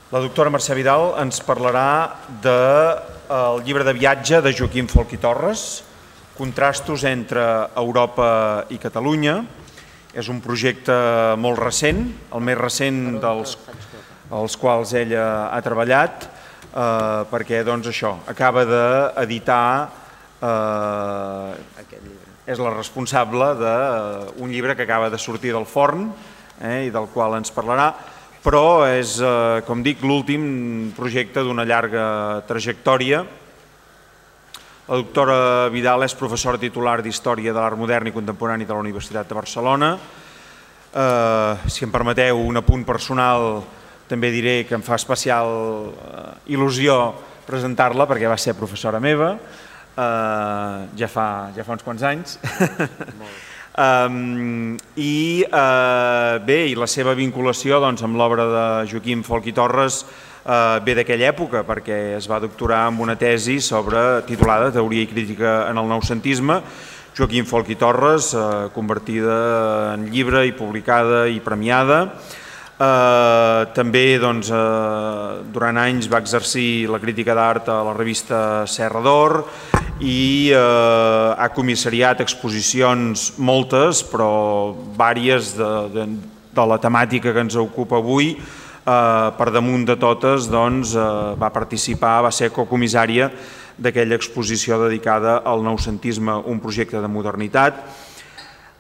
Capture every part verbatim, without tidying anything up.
La doctora Mercè Vidal ens parlarà del llibre de viatge de Joaquim Folch i Torres, Contrastos entre Europa i Catalunya. És un projecte molt recent, el més recent dels els quals ella ha treballat, eh, perquè doncs, això acaba d'editar, eh, és la responsable d'un llibre que acaba de sortir del forn eh, i del qual ens parlarà, però és, eh, com dic, l'últim projecte d'una llarga trajectòria. La doctora Vidal és professora titular d'Història de l'Art Modern i Contemporani de la Universitat de Barcelona. Eh, si em permeteu un apunt personal, també diré que em fa especial eh, il·lusió presentar-la perquè va ser professora meva, eh, ja, fa, ja fa uns quants anys. um, I eh, bé, i la seva vinculació doncs, amb l'obra de Joaquim Folch i Torres eh, ve d'aquella època, perquè es va doctorar amb una tesi sobre, titulada Teoria i crítica en el noucentisme, Joaquim Folch i Torres, eh, convertida en llibre i publicada i premiada. Eh, també doncs, eh, durant anys va exercir la crítica d'art a la revista Serra d'Or i eh, ha comissariat exposicions moltes, però vàries de, de, de la temàtica que ens ocupa avui. Eh, per damunt de totes doncs, eh, va participar, va ser cocomissària d'aquella exposició dedicada al noucentisme, un projecte de modernitat.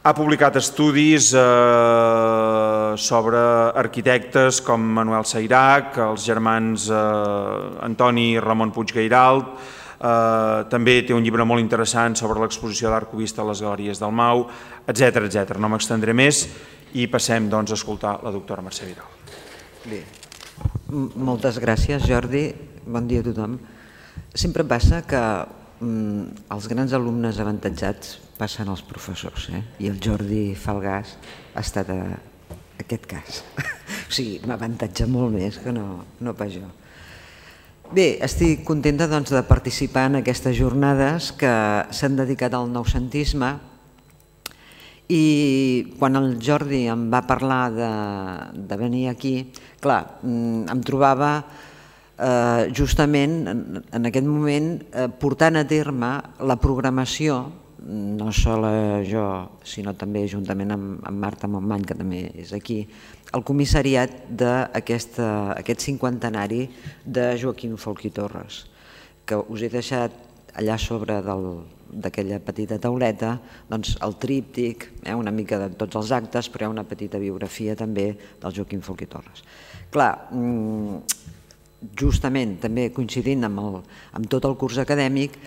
Ha publicat estudis eh, sobre arquitectes com Manuel Sayrac, els germans eh, Antoni i Ramon Puig Gairalt. Eh, també té un llibre molt interessant sobre l'exposició d'art cubista a les Galeries del Mau, etcètera etcètera. No m'extendré més i passem doncs, a escoltar la doctora Mercè Vidal. Bé, moltes gràcies, Jordi. Bon dia a tothom. Sempre passa que mm, els grans alumnes avantatjats passen als professors, eh? I el Jordi Falgàs ha estat a aquest cas. O sigui, m'avantatja molt més que no, no pas jo. Bé, estic contenta doncs, de participar en aquestes jornades que s'han dedicat al noucentisme i quan el Jordi em va parlar de, de venir aquí, clar, em trobava eh, justament en, en aquest moment eh, portant a terme la programació, no sola jo, sinó també juntament amb, amb Marta Montmany, que també és aquí, el comissariat d'aquest cinquantenari de Joaquim Folch i Torres, que us he deixat allà sobre d'aquella petita tauleta doncs, el tríptic, eh, una mica de tots els actes, però hi ha una petita biografia també del Joaquim Folch i Torres. Clar, justament també coincidint amb, el, amb tot el curs acadèmic,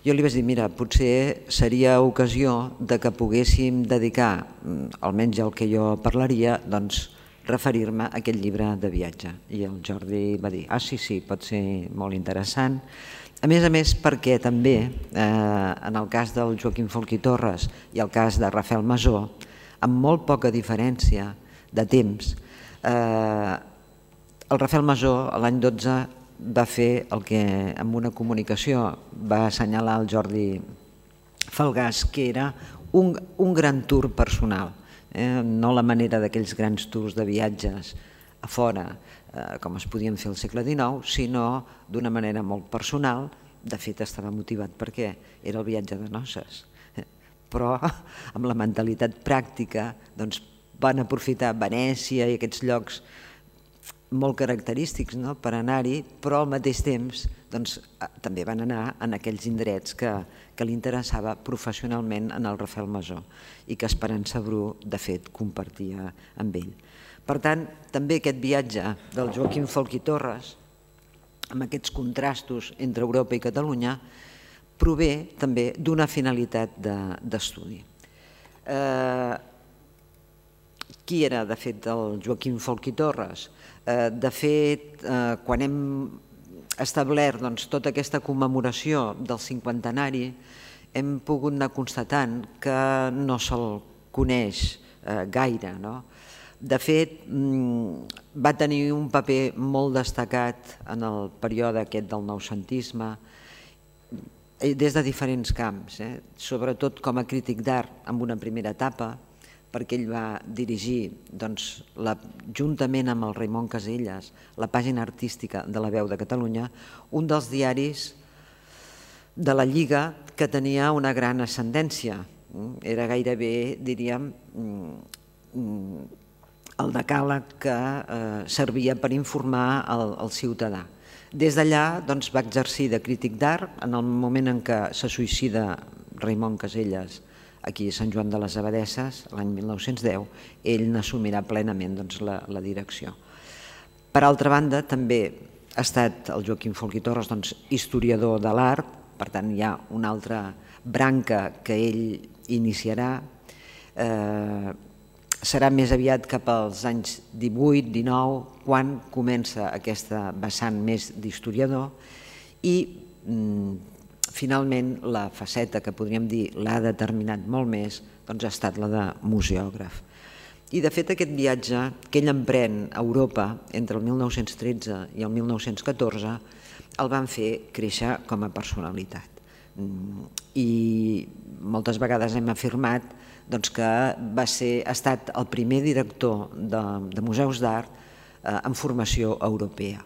jo li vaig dir, mira, potser seria ocasió de que poguéssim dedicar, almenys el que jo parlaria, doncs referir-me a aquest llibre de viatge. I el Jordi va dir, ah, sí, sí, pot ser molt interessant. A més a més, perquè també, eh, en el cas del Joaquim Folch i Torres i el cas de Rafael Masó, amb molt poca diferència de temps, eh, el Rafael Masó l'any dotze va fer el que amb una comunicació va assenyalar el Jordi Falgàs, que era un, un gran tour personal, eh? No la manera d'aquells grans tours de viatges a fora, eh, com es podien fer al segle dinou, sinó d'una manera molt personal. De fet, estava motivat perquè era el viatge de noces, eh? Però amb la mentalitat pràctica doncs, van aprofitar Venècia i aquests llocs molt característics, no?, per anar-hi, però al mateix temps doncs, també van anar en aquells indrets que, que li interessava professionalment en el Rafael Masó i que Esperança Bru, de fet, compartia amb ell. Per tant, també aquest viatge del Joaquim Folch i Torres, amb aquests contrastos entre Europa i Catalunya, prové també d'una finalitat d'estudi. Eh, qui era, de fet, el Joaquim Folch i Torres? De fet, quan hem establert tota aquesta commemoració del cinquantenari, hem pogut anar constatant que no se'l coneix gaire. De fet, va tenir un paper molt destacat en el període aquest del noucentisme, des de diferents camps, sobretot com a crític d'art en una primera etapa, perquè ell va dirigir, juntament amb el Raimon Casellas, la pàgina artística de La Veu de Catalunya, un dels diaris de la Lliga que tenia una gran ascendència. Era gairebé, diríem, el decàleg que servia per informar el ciutadà. Des d'allà va exercir de crític d'art. En el moment en què se suïcida Raimon Casellas aquí a Sant Joan de les Abadesses, l'any mil nou-cents deu, ell n'assumirà plenament la direcció. Per altra banda, també ha estat el Joaquim Folch i Torres historiador de l'art, per tant hi ha una altra branca que ell iniciarà. Serà més aviat cap als anys divuit dinou quan comença aquesta vessant més d'historiador i finalment la faceta que podríem dir l'ha determinat molt més ha estat la de museògraf. I de fet aquest viatge que ell emprèn a Europa entre el mil nou-cents tretze i el mil nou-cents catorze el van fer créixer com a personalitat. I moltes vegades hem afirmat que ha estat el primer director de museus d'art en formació europea.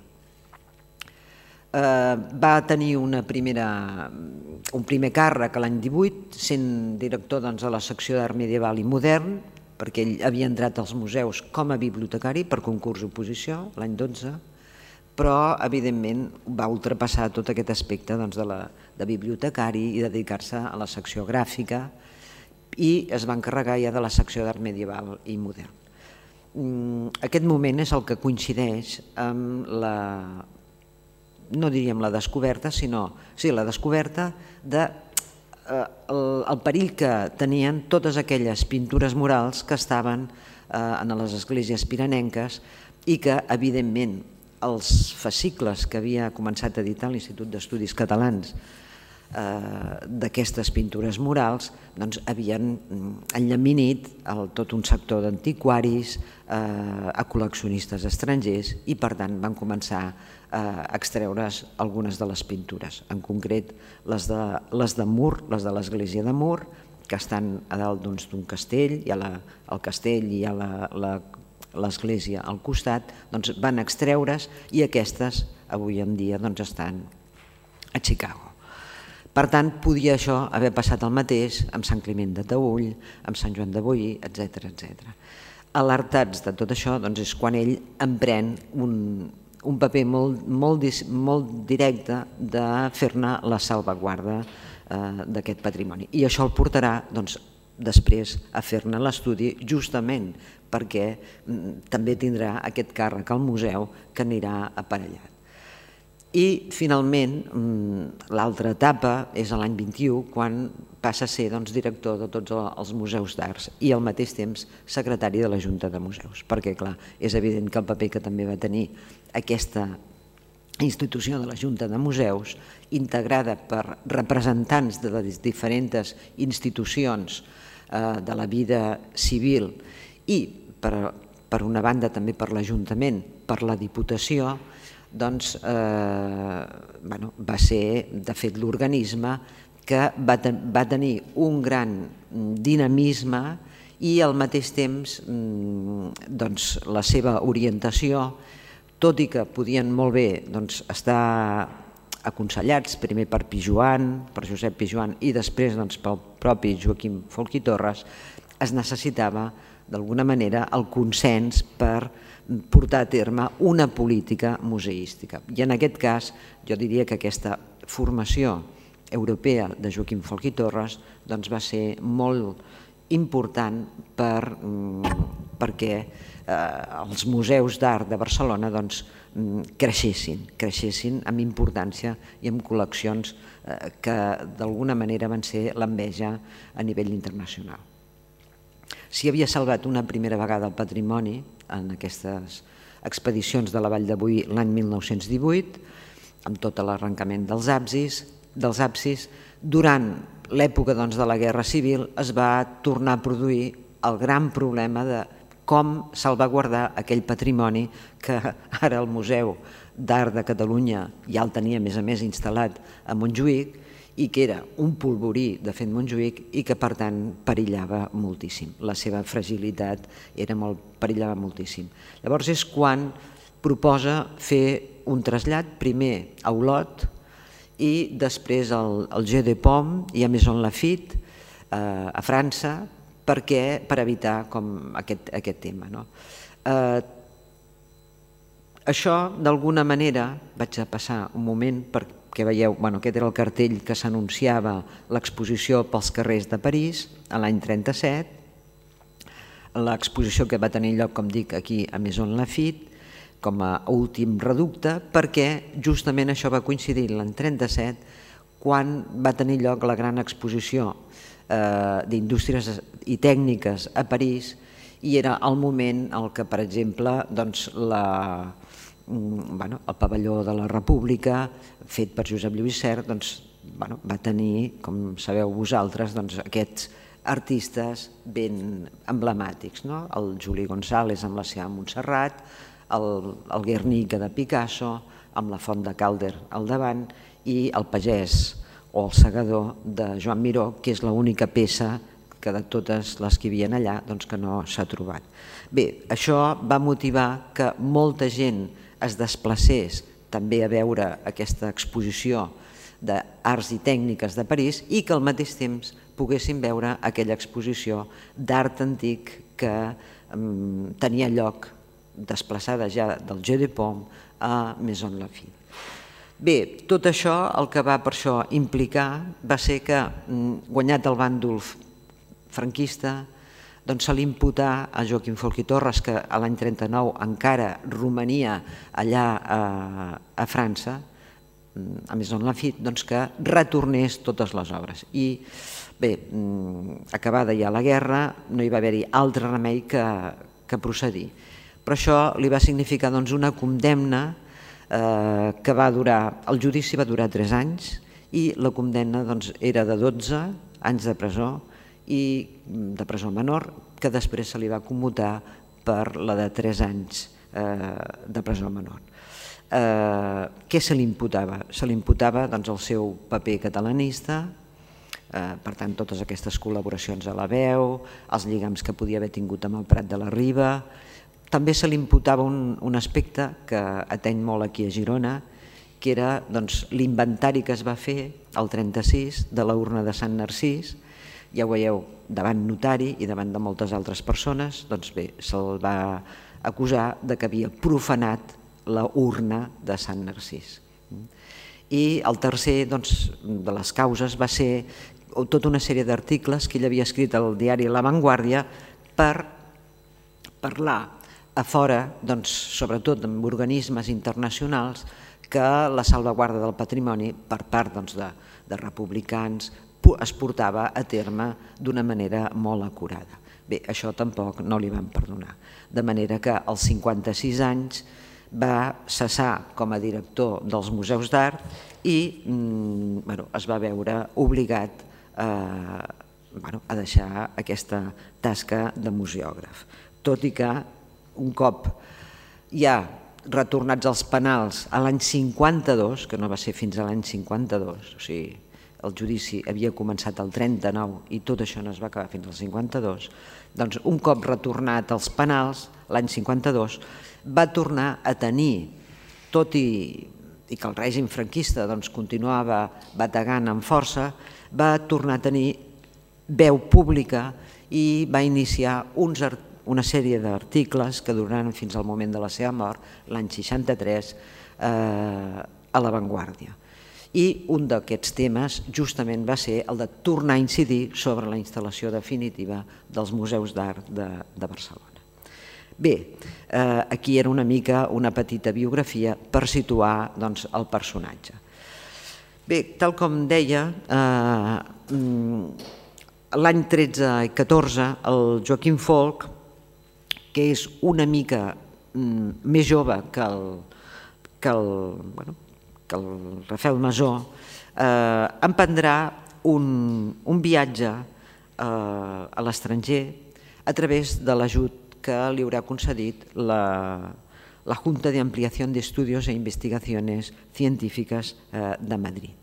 Va tenir un primer càrrec l'any divuit, sent director de la secció d'art medieval i modern, perquè ell havia entrat als museus com a bibliotecari per concurs oposició l'any dotze, però evidentment va ultrapassar tot aquest aspecte de bibliotecari i dedicar-se a la secció gràfica i es va encarregar ja de la secció d'art medieval i modern. Aquest moment és el que coincideix amb la, no diríem la descoberta, sinó, sí, la descoberta del perill que tenien totes aquelles pintures murals que estaven en les esglésies piranenques i que, evidentment, els fascicles que havia començat a editar l'Institut d'Estudis Catalans d'aquestes pintures murals havien enllaminit tot un sector d'antiquaris, a col·leccionistes estrangers i per tant van començar a extreure's algunes de les pintures, en concret les de Mur, les de l'església de Mur, que estan a dalt d'un castell, hi ha el castell i hi ha l'església al costat, van extreure's i aquestes avui en dia estan a Chicago. Per tant, podia això haver passat el mateix amb Sant Climent de Taüll, amb Sant Joan de Boí, etcètera. Alertats de tot això és quan ell emprèn un paper molt directe de fer-ne la salvaguarda d'aquest patrimoni. I això el portarà després a fer-ne l'estudi justament perquè també tindrà aquest càrrec al museu que anirà aparellat. I finalment l'altra etapa és l'any vint-i-u quan passa a ser director de tots els museus d'arts i al mateix temps secretari de la Junta de Museus, perquè clar, és evident que el paper que també va tenir aquesta institució de la Junta de Museus, integrada per representants de les diferents institucions de la vida civil i, per una banda, també per l'Ajuntament, per la Diputació, doncs va ser, de fet, l'organisme que va tenir un gran dinamisme i al mateix temps la seva orientació, tot i que podien molt bé estar aconsellats primer per Pijoan, per Josep Pijoan i després pel propi Joaquim Folch i Torres, es necessitava d'alguna manera el consens per portar a terme una política museística. I en aquest cas jo diria que aquesta formació europea de Joaquim Folch i Torres va ser molt important perquè els museus d'art de Barcelona creixessin, creixessin amb importància i amb col·leccions que d'alguna manera van ser l'enveja a nivell internacional. S'hi havia salvat una primera vegada el patrimoni en aquestes expedicions de la Vall de Boí l'any mil nou-cents divuit, amb tot l'arrencament dels absis. Durant l'època de la Guerra Civil es va tornar a produir el gran problema de com salvaguardar aquell patrimoni que ara el Museu d'Art de Catalunya ja el tenia, a més a més, instal·lat a Montjuïc i que era un polvorí de fet Montjuïc i que per tant perillava moltíssim. La seva fragilitat era molt, perillava moltíssim. Llavors és quan proposa fer un trasllat, primer a Olot i després al, al Jeu de Paume i a Maison Lafitte, eh, a França, perquè, per evitar com aquest, aquest tema. No? Eh, això, d'alguna manera, vaig a passar un moment perquè veieu, bueno, aquest era el cartell que s'anunciava l'exposició pels carrers de París a l'any trenta-set, l'exposició que va tenir lloc, com dic, aquí a Maison Lafitte, com a últim reducte, perquè justament això va coincidir l'any trenta-set, quan va tenir lloc la gran exposició eh, d'indústries i tècniques a París, i era el moment en què, per exemple, doncs, la, bueno, el pavelló de la República, fet per Josep Lluís Sert, doncs, bueno, va tenir, com sabeu vosaltres, doncs, aquests artistes ben emblemàtics, no? El Juli González amb la seva Montserrat, el, el Guernica de Picasso, amb la Font de Calder al davant, i el Pagès o el Segador de Joan Miró, que és l'única peça que de totes les que hi havia allà doncs que no s'ha trobat. Bé, això va motivar que molta gent es desplacés també a veure aquesta exposició d'arts i tècniques de París i que al mateix temps poguessin veure aquella exposició d'art antic que um, tenia lloc desplaçada ja del Jeu de Paume a Maison Lafitte. Bé, tot això el que va per això implicar va ser que, guanyat el bàndol franquista, doncs se li imputà a Joaquim Folch i Torres, que a l'any trenta-nou encara romania allà a, a França, a Maison Lafitte, doncs que retornés totes les obres. I bé, acabada ja la guerra, no hi va haver-hi altre remei que, que procedir. Però això li va significar doncs, una condemna eh, que va durar, el judici va durar tres anys i la condemna doncs, era de dotze anys de presó i de presó menor, que després se li va commutar per la de tres anys eh, de presó menor. Eh, què se li imputava? Se li imputava doncs, el seu paper catalanista, eh, per tant totes aquestes col·laboracions a la veu, els lligams que podia haver tingut amb el Prat de la Riba. També se li imputava un, un aspecte que ateny molt aquí a Girona, que era doncs, l'inventari que es va fer el trenta-sis de la urna de Sant Narcís. Ja ho veieu, davant notari i davant de moltes altres persones, doncs bé, se'l va acusar de que havia profanat la urna de Sant Narcís. I el tercer doncs, de les causes va ser tota una sèrie d'articles que ell havia escrit al diari La Vanguardia per parlar a fora, doncs, sobretot amb organismes internacionals, que la salvaguarda del patrimoni per part doncs, de, de republicans es portava a terme d'una manera molt acurada. Bé, això tampoc no li van perdonar. De manera que als cinquanta-sis anys va cessar com a director dels museus d'art i mm, bueno, es va veure obligat a, bueno, a deixar aquesta tasca de museògraf. Tot i que un cop ja retornats als penals a l'any cinquanta-dos, que no va ser fins a l'any cinquanta-dos, o sigui, el judici havia començat el trenta-nou i tot això no es va acabar fins al cinquanta-dos, doncs un cop retornat als penals, l'any cinquanta-dos, va tornar a tenir, tot i, i que el règim franquista doncs, continuava bategant amb força, va tornar a tenir veu pública i va iniciar uns articles una sèrie d'articles que duraran fins al moment de la seva mort, l'any seixanta-tres, eh, a La Vanguardia. I un d'aquests temes justament va ser el de tornar a incidir sobre la instal·lació definitiva dels museus d'art de, de Barcelona. Bé, eh, aquí era una mica una petita biografia per situar doncs, el personatge. Bé, tal com deia, eh, l'any tretze i catorze, el Joaquim Folch, que és una mica mm, més jove que el, que el, bueno, que el Rafael Masó, eh, emprendrà un, un viatge eh, a l'estranger a través de l'ajut que li haurà concedit la, la Junta de Ampliación de Estudios e Investigaciones Científicas eh, de Madrid.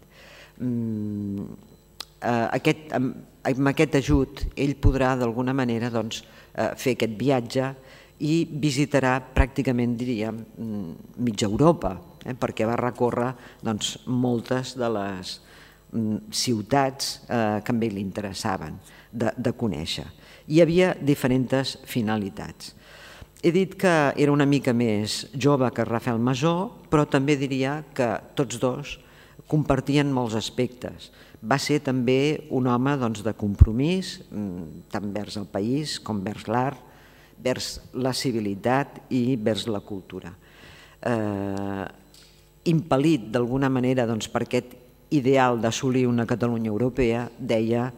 aquest, amb aquest ajut ell podrà d'alguna manera doncs, fer aquest viatge i visitarà pràcticament, diríem, mitja Europa, eh, perquè va recórrer doncs, moltes de les ciutats eh, que a ell li interessaven de, de conèixer. Hi havia diferents finalitats. He dit que era una mica més jove que Rafael Masó, però també diria que tots dos compartien molts aspectes. Va ser també un home doncs, de compromís, tant vers el país com vers l'art, vers la civilitat i vers la cultura. Eh, impel·lit d'alguna manera doncs, per aquest ideal d'assolir una Catalunya europea, deia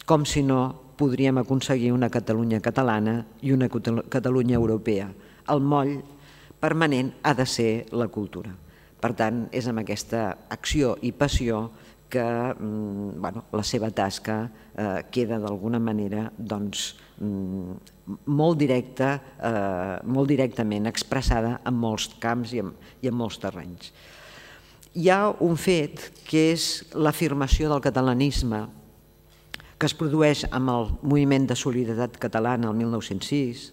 com si no podríem aconseguir una Catalunya catalana i una Catalunya europea. El moll permanent ha de ser la cultura. Per tant, és amb aquesta acció i passió que bueno, la seva tasca eh, queda d'alguna manera doncs, molt, directa, eh, molt directament expressada en molts camps i en, i en molts terrenys. Hi ha un fet que és l'afirmació del catalanisme que es produeix amb el moviment de solidaritat catalana el mil nou-cents sis,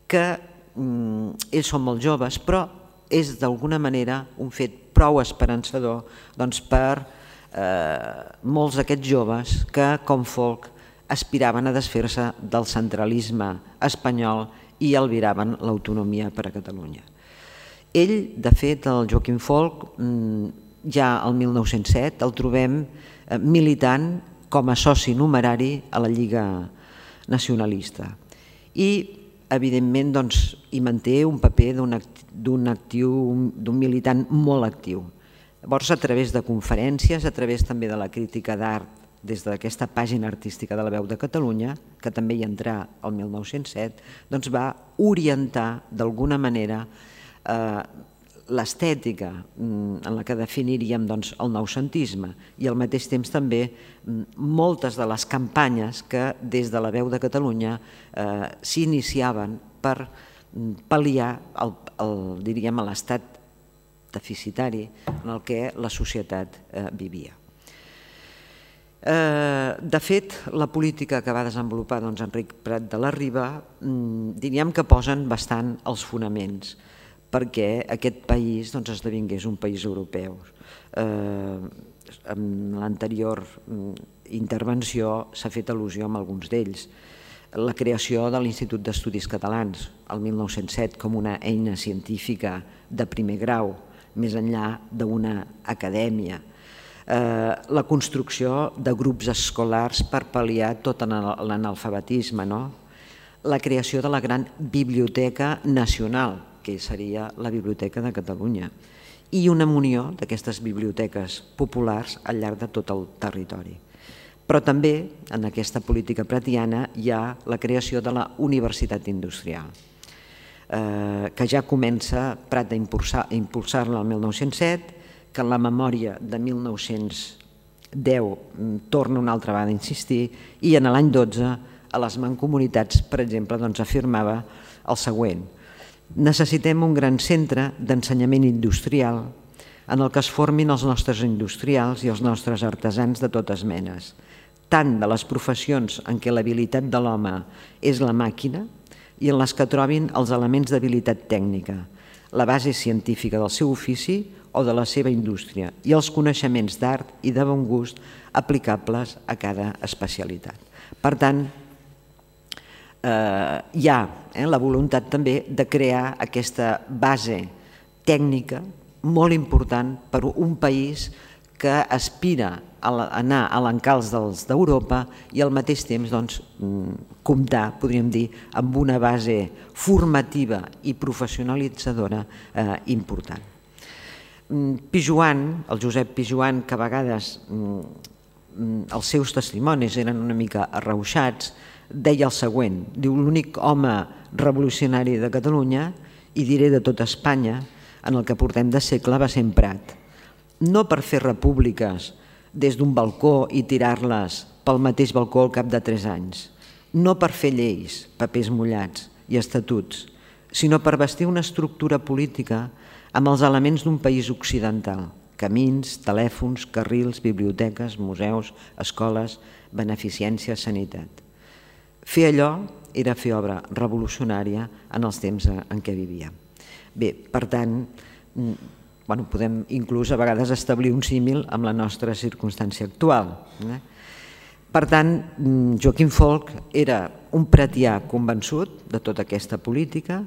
que mm, ells són molt joves, però és d'alguna manera un fet prou esperançador doncs, per eh, molts d'aquests joves que, com Folc, aspiraven a desfer-se del centralisme espanyol i albiraven l'autonomia per a Catalunya. Ell, de fet, el Joaquim Folc, ja el mil nou-cents set el trobem militant com a soci numerari a la Lliga Nacionalista. I, evidentment, doncs, hi manté un paper d'un actiu, d'un militant molt actiu. Llavors, a través de conferències, a través també de la crítica d'art, des d'aquesta pàgina artística de la Veu de Catalunya, que també hi entrà el mil nou-cents set, doncs va orientar d'alguna manera l'estètica en la que definiríem el noucentisme i al mateix temps també moltes de les campanyes que des de la Veu de Catalunya s'iniciaven per pal·liar l'estat deficitari en el que la societat vivia. De fet, la política que va desenvolupar Enric Prat de la Riba diríem que posen bastant els fonaments perquè aquest país esdevingués un país europeu. En l'anterior intervenció s'ha fet al·lusió a alguns d'ells. La creació de l'Institut d'Estudis Catalans el mil nou-cents set com una eina científica de primer grau, més enllà d'una acadèmia. La construcció de grups escolars per pal·liar tot l'analfabetisme. La creació de la gran Biblioteca Nacional, que seria la Biblioteca de Catalunya, i una munió d'aquestes biblioteques populars al llarg de tot el territori. Però també en aquesta política pratiana hi ha la creació de la Universitat Industrial, que ja comença Prat a impulsar-la el mil nou-cents set, que en la memòria de mil nou-cents deu torna una altra vegada a insistir, i en l'any dotze a les mancomunitats, per exemple, afirmava el següent: necessitem un gran centre d'ensenyament industrial en el que es formin els nostres industrials i els nostres artesans de totes menes, tant de les professions en què l'habilitat de l'home és la màquina i en les que trobin els elements d'habilitat tècnica, la base científica del seu ofici o de la seva indústria i els coneixements d'art i de bon gust aplicables a cada especialitat. Per tant, hi ha la voluntat també de crear aquesta base tècnica molt important per a un país que aspira a anar a l'encalç d'Europa i al mateix temps comptar, podríem dir, amb una base formativa i professionalitzadora important. Pijoan, el Josep Pijoan, que a vegades els seus testimonis eren una mica arrauxats, deia el següent, diu: l'únic home revolucionari de Catalunya, i diré de tota Espanya, en el que portem de segle va ser en Prat. No per fer repúbliques des d'un balcó i tirar-les pel mateix balcó al cap de tres anys, no per fer lleis, papers mullats i estatuts, sinó per vestir una estructura política amb els elements d'un país occidental, camins, telèfons, carrils, biblioteques, museus, escoles, beneficència, sanitat. Fer allò era fer obra revolucionària en els temps en què vivíem. Bé, per tant, podem inclús a vegades establir un símil amb la nostra circumstància actual. Per tant, Joaquim Folch era un pretià convençut de tota aquesta política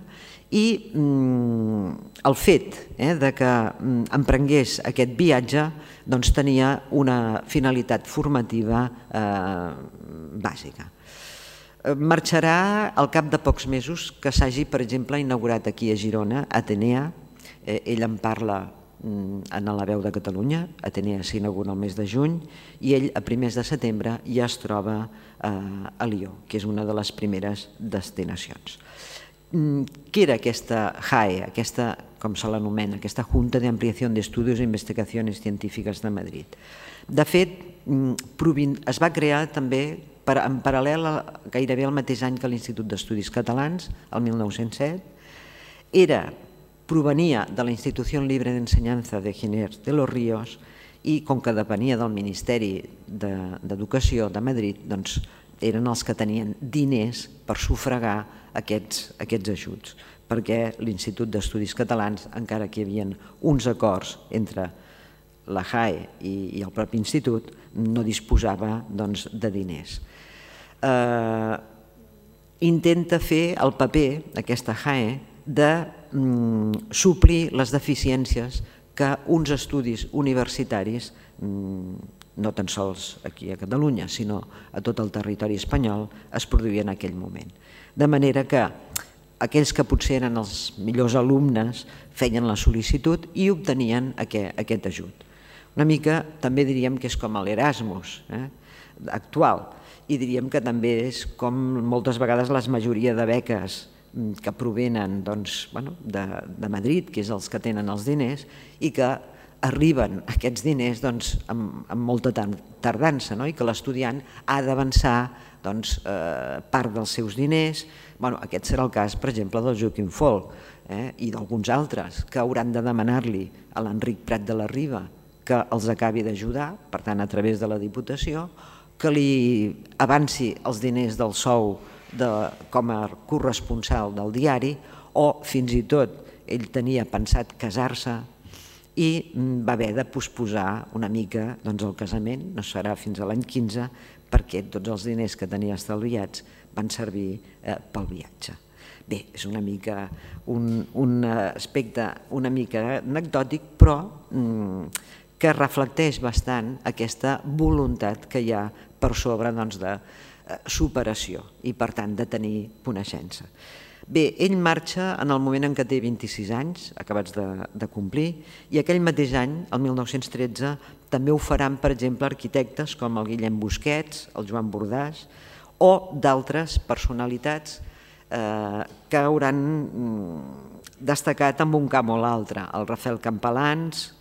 i el fet que emprengués aquest viatge tenia una finalitat formativa bàsica. Marxarà al cap de pocs mesos que s'hagi, per exemple, inaugurat aquí a Girona, Atenea. Ell en parla en La Veu de Catalunya. Atenea s'inaugura el mes de juny i ell a primers de setembre ja es troba a Lió, que és una de les primeres destinacions. Què era aquesta J A E, aquesta, com se l'anomena, aquesta Junta de Ampliación de Estudios e Investigaciones Científiques de Madrid? De fet, es va crear també en paral·lel gairebé al mateix any que l'Institut d'Estudis Catalans, el mil nou-cents set. Era, provenia de la Institució Libre d'Ensenyança de Ginés de los Ríos i com que depenia del Ministeri d'Educació de Madrid, doncs eren els que tenien diners per sufragar aquests ajuts, perquè l'Institut d'Estudis Catalans, encara que hi havia uns acords entre la J A E i el propi institut, no disposava de diners. Intenta fer el paper, aquesta J A E, de suplir les deficiències que uns estudis universitaris, no tan sols aquí a Catalunya, sinó a tot el territori espanyol, es produïen en aquell moment. De manera que aquells que potser eren els millors alumnes feien la sol·licitud i obtenien aquest ajut. Una mica també diríem que és com l'Erasmus actual i diríem que també és com moltes vegades la majoria de beques que provenen de Madrid, que és els que tenen els diners, i que arriben aquests diners amb molta tardança i que l'estudiant ha d'avançar part dels seus diners. Aquest serà el cas, per exemple, del Joaquim Folch i d'alguns altres que hauran de demanar-li a l'Enric Prat de la Riba que els acabi d'ajudar, per tant, a través de la Diputació, que li avanci els diners del sou com a corresponsal del diari, o fins i tot ell tenia pensat casar-se i va haver de posposar una mica el casament, no serà fins a l'any quinze, perquè tots els diners que tenia estalviats van servir pel viatge. Bé, és una mica un aspecte una mica anecdòtic, però que reflecteix bastant aquesta voluntat que hi ha per sobre de superació i, per tant, de tenir coneixença. Bé, ell marxa en el moment en què té vint-i-sis anys, acabats de complir, i aquell mateix any, el mil nou-cents tretze, també ho faran, per exemple, arquitectes com el Guillem Busquets, el Joan Bordàs, o d'altres personalitats que hauran destacat en un camp o l'altre. El Rafael Campalans,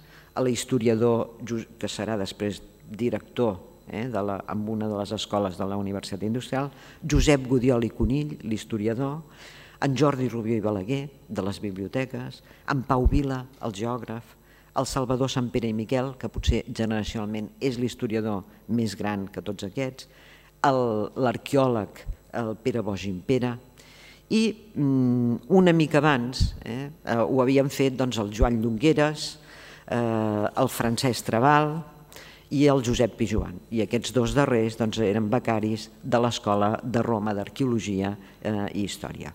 l'historiador, que serà després director en una de les escoles de la Universitat Industrial, Josep Gudiol i Conill, l'historiador, en Jordi Rubió i Balaguer, de les biblioteques, en Pau Vila, el geògraf, el Salvador Sampere i Miquel, que potser generacionalment és l'historiador més gran que tots aquests, l'arqueòleg, el Pere Boix Gimpera, i una mica abans ho havien fet el Joan Llongueres, el Francesc Trabal i el Josep Pijoan. I aquests dos darrers eren becaris de l'Escola de Roma d'Arqueologia i Història.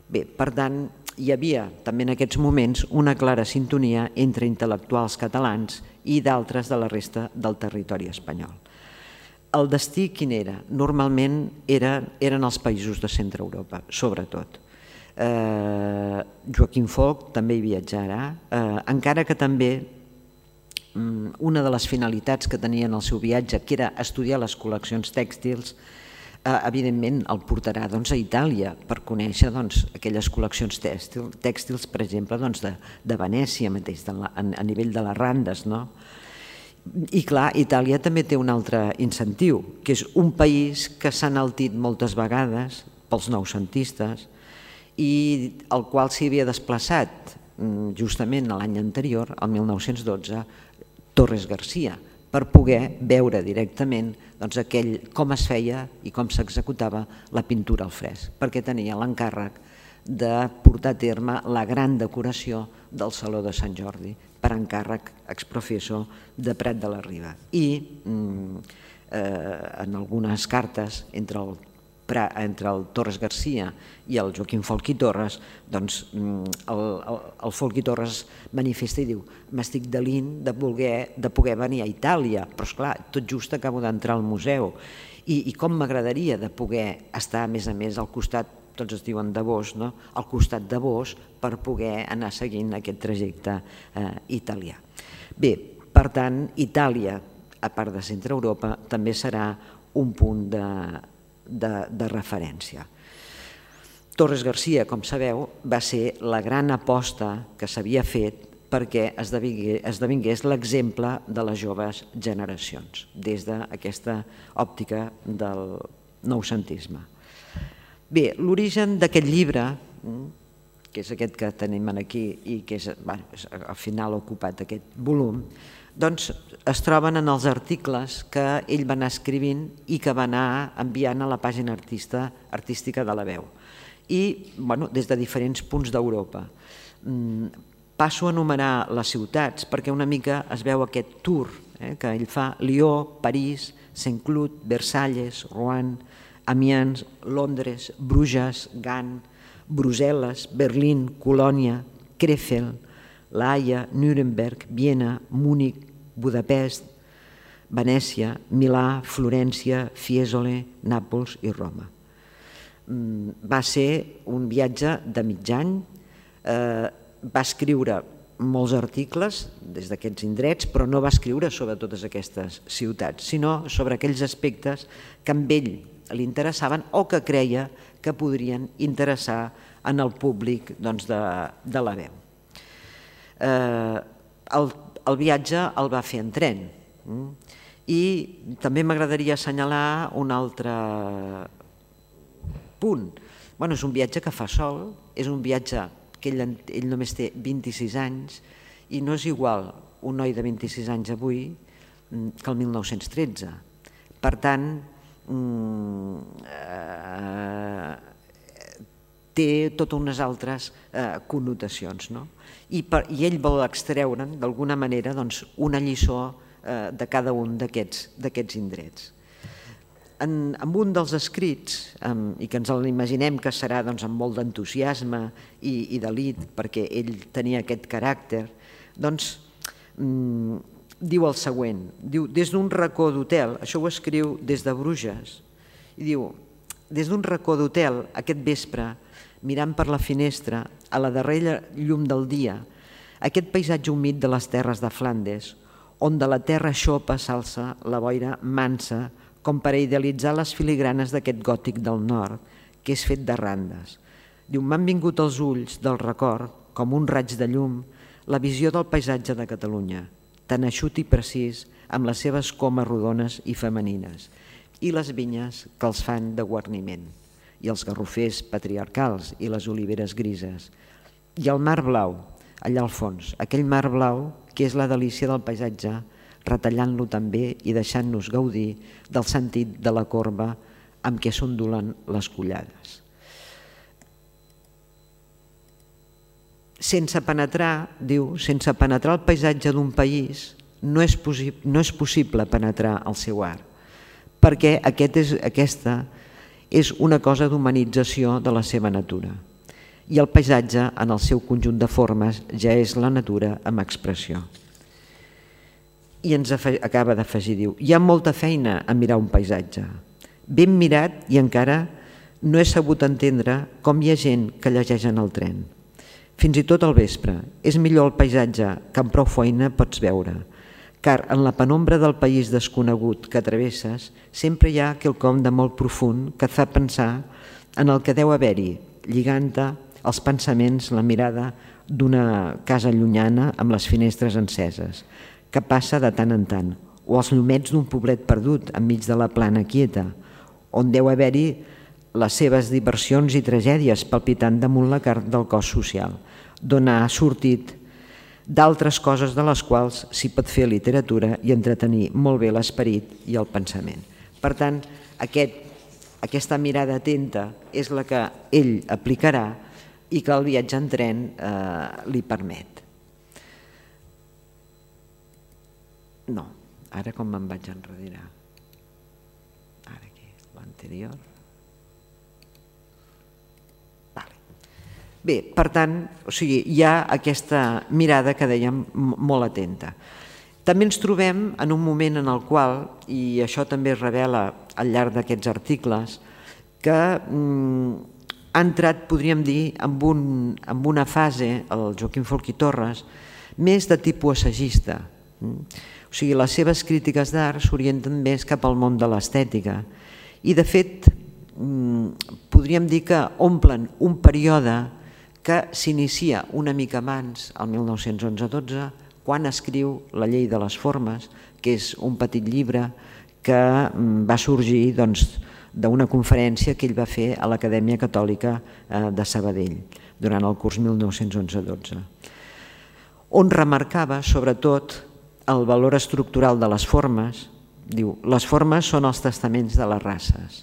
Bé, per tant, hi havia també en aquests moments una clara sintonia entre intel·lectuals catalans i d'altres de la resta del territori espanyol. El destí quin era? Normalment eren els països de centre Europa, sobretot. Joaquim Folch també hi viatjarà, encara que també una de les finalitats que tenia en el seu viatge, que era estudiar les col·leccions tèxtils, evidentment el portarà a Itàlia per conèixer aquelles col·leccions tèxtils, per exemple, de Venècia mateix, a nivell de les Randes. I clar, Itàlia també té un altre incentiu, que és un país que s'ha enaltit moltes vegades pels noucentistes i el qual s'hi havia desplaçat justament l'any anterior, el mil nou-cents dotze, Torres Garcia, per poder veure directament com es feia i com s'executava la pintura al fresc, perquè tenia l'encàrrec de portar a terme la gran decoració del Saló de Sant Jordi, per encàrrec exprofesso de Prat de la Riba. I en algunes cartes entre el entre el Torres Garcia i el Joaquim Folch i Torres, doncs el Folch i Torres manifesta i diu: m'estic delint de poder venir a Itàlia, però esclar, tot just acabo d'entrar al museu, i com m'agradaria de poder estar a més a més al costat, tots es diuen de Bosch, al costat de Bosch, per poder anar seguint aquest trajecte italià. Bé, per tant, Itàlia, a part de centre Europa, també serà un punt de de referència. Torres Garcia, com sabeu, va ser la gran aposta que s'havia fet perquè esdevingués l'exemple de les joves generacions, des d'aquesta òptica del noucentisme. Bé, l'origen d'aquest llibre, que és aquest que tenim aquí i que al final ha ocupat aquest volum, doncs es troben en els articles que ell va anar escrivint i que va anar enviant a la pàgina artística de La Veu, i des de diferents punts d'Europa. Passo a enumerar les ciutats perquè una mica es veu aquest tour que ell fa: Lió, París, Saint-Cloud, Versalles, Rouen, Amiens, Londres, Bruges, Gant, Brussel·les, Berlín, Colònia, Krefeld, La Haia, Nuremberg, Viena, Múnich, Budapest, Venècia, Milà, Florència, Fiesole, Nàpols i Roma. Va ser un viatge de mig any, va escriure molts articles des d'aquests indrets, però no va escriure sobre totes aquestes ciutats, sinó sobre aquells aspectes que a ell li interessaven o que creia que podrien interessar en el públic de La Veu. El viatge el va fer en tren i també m'agradaria assenyalar un altre punt. És un viatge que fa sol, és un viatge que ell només té vint-i-sis anys i no és igual un noi de vint-i-sis anys avui que el mil nou-cents tretze. Per tant, té totes unes altres connotacions, i ell vol extreure'n d'alguna manera una lliçó de cada un d'aquests indrets. En un dels escrits, i que ens l'imaginem que serà amb molt d'entusiasme i delit perquè ell tenia aquest caràcter, doncs diu el següent: des d'un racó d'hotel, això ho escriu des de Bruges, i diu: des d'un racó d'hotel aquest vespre, mirant per la finestra, a la darrera llum del dia, aquest paisatge humit de les terres de Flandes, on de la terra xopa s'alça la boira mansa com per a idealitzar les filigranes d'aquest gòtic del nord, que és fet de randes. Diu: m'han vingut als ulls del record, com un raig de llum, la visió del paisatge de Catalunya, tan eixut i precís, amb les seves comes rodones i femenines, i les vinyes que els fan de guarniment, i els garrofers patriarcals i les oliveres grises, i el mar blau, allà al fons, aquell mar blau que és la delícia del paisatge, retallant-lo també i deixant-nos gaudir del sentit de la corba amb què s'ondulen les collades. Sense penetrar, diu, sense penetrar el paisatge d'un país no és possible penetrar el seu art, perquè aquesta és una cosa d'humanització de la seva natura. I el paisatge, en el seu conjunt de formes, ja és la natura amb expressió. I ens acaba d'afegir, diu: hi ha molta feina a mirar un paisatge. Ben mirat i encara no he sabut entendre com hi ha gent que llegeix en el tren. Fins i tot al vespre, és millor el paisatge que amb prou feina pots veure, car en la penombra del país desconegut que travesses sempre hi ha quelcom de molt profund que et fa pensar en el que deu haver-hi, lligant-te els pensaments la mirada d'una casa llunyana amb les finestres enceses, que passa de tant en tant, o els llumets d'un poblet perdut enmig de la plana quieta, on deu haver-hi les seves diversions i tragèdies palpitant damunt la carn del cos social, d'on ha sortit d'altres coses de les quals s'hi pot fer literatura i entretenir molt bé l'esperit i el pensament. Per tant, aquest, aquesta mirada atenta és la que ell aplicarà i que el viatge en tren eh, li permet. No, ara com me'n vaig enrere? Ara aquí, l'anterior. Vale. Bé, per tant, o sigui, hi ha aquesta mirada que dèiem molt atenta. També ens trobem en un moment en el qual, i això també es revela al llarg d'aquests articles, que mm, ha entrat, podríem dir, en, un, en una fase, el Joaquim Folch i Torres, més de tipus assagista. O sigui, les seves crítiques d'art s'orienten més cap al món de l'estètica i, de fet, podríem dir que omplen un període que s'inicia una mica abans, el mil nou-cents onze dotze, quan escriu La llei de les formes, que és un petit llibre que va sorgir doncs, d'una conferència que ell va fer a l'Acadèmia Catòlica de Sabadell durant el curs mil nou-cents onze dotze, on remarcava sobretot el valor estructural de les formes. Diu, les formes són els testaments de les races.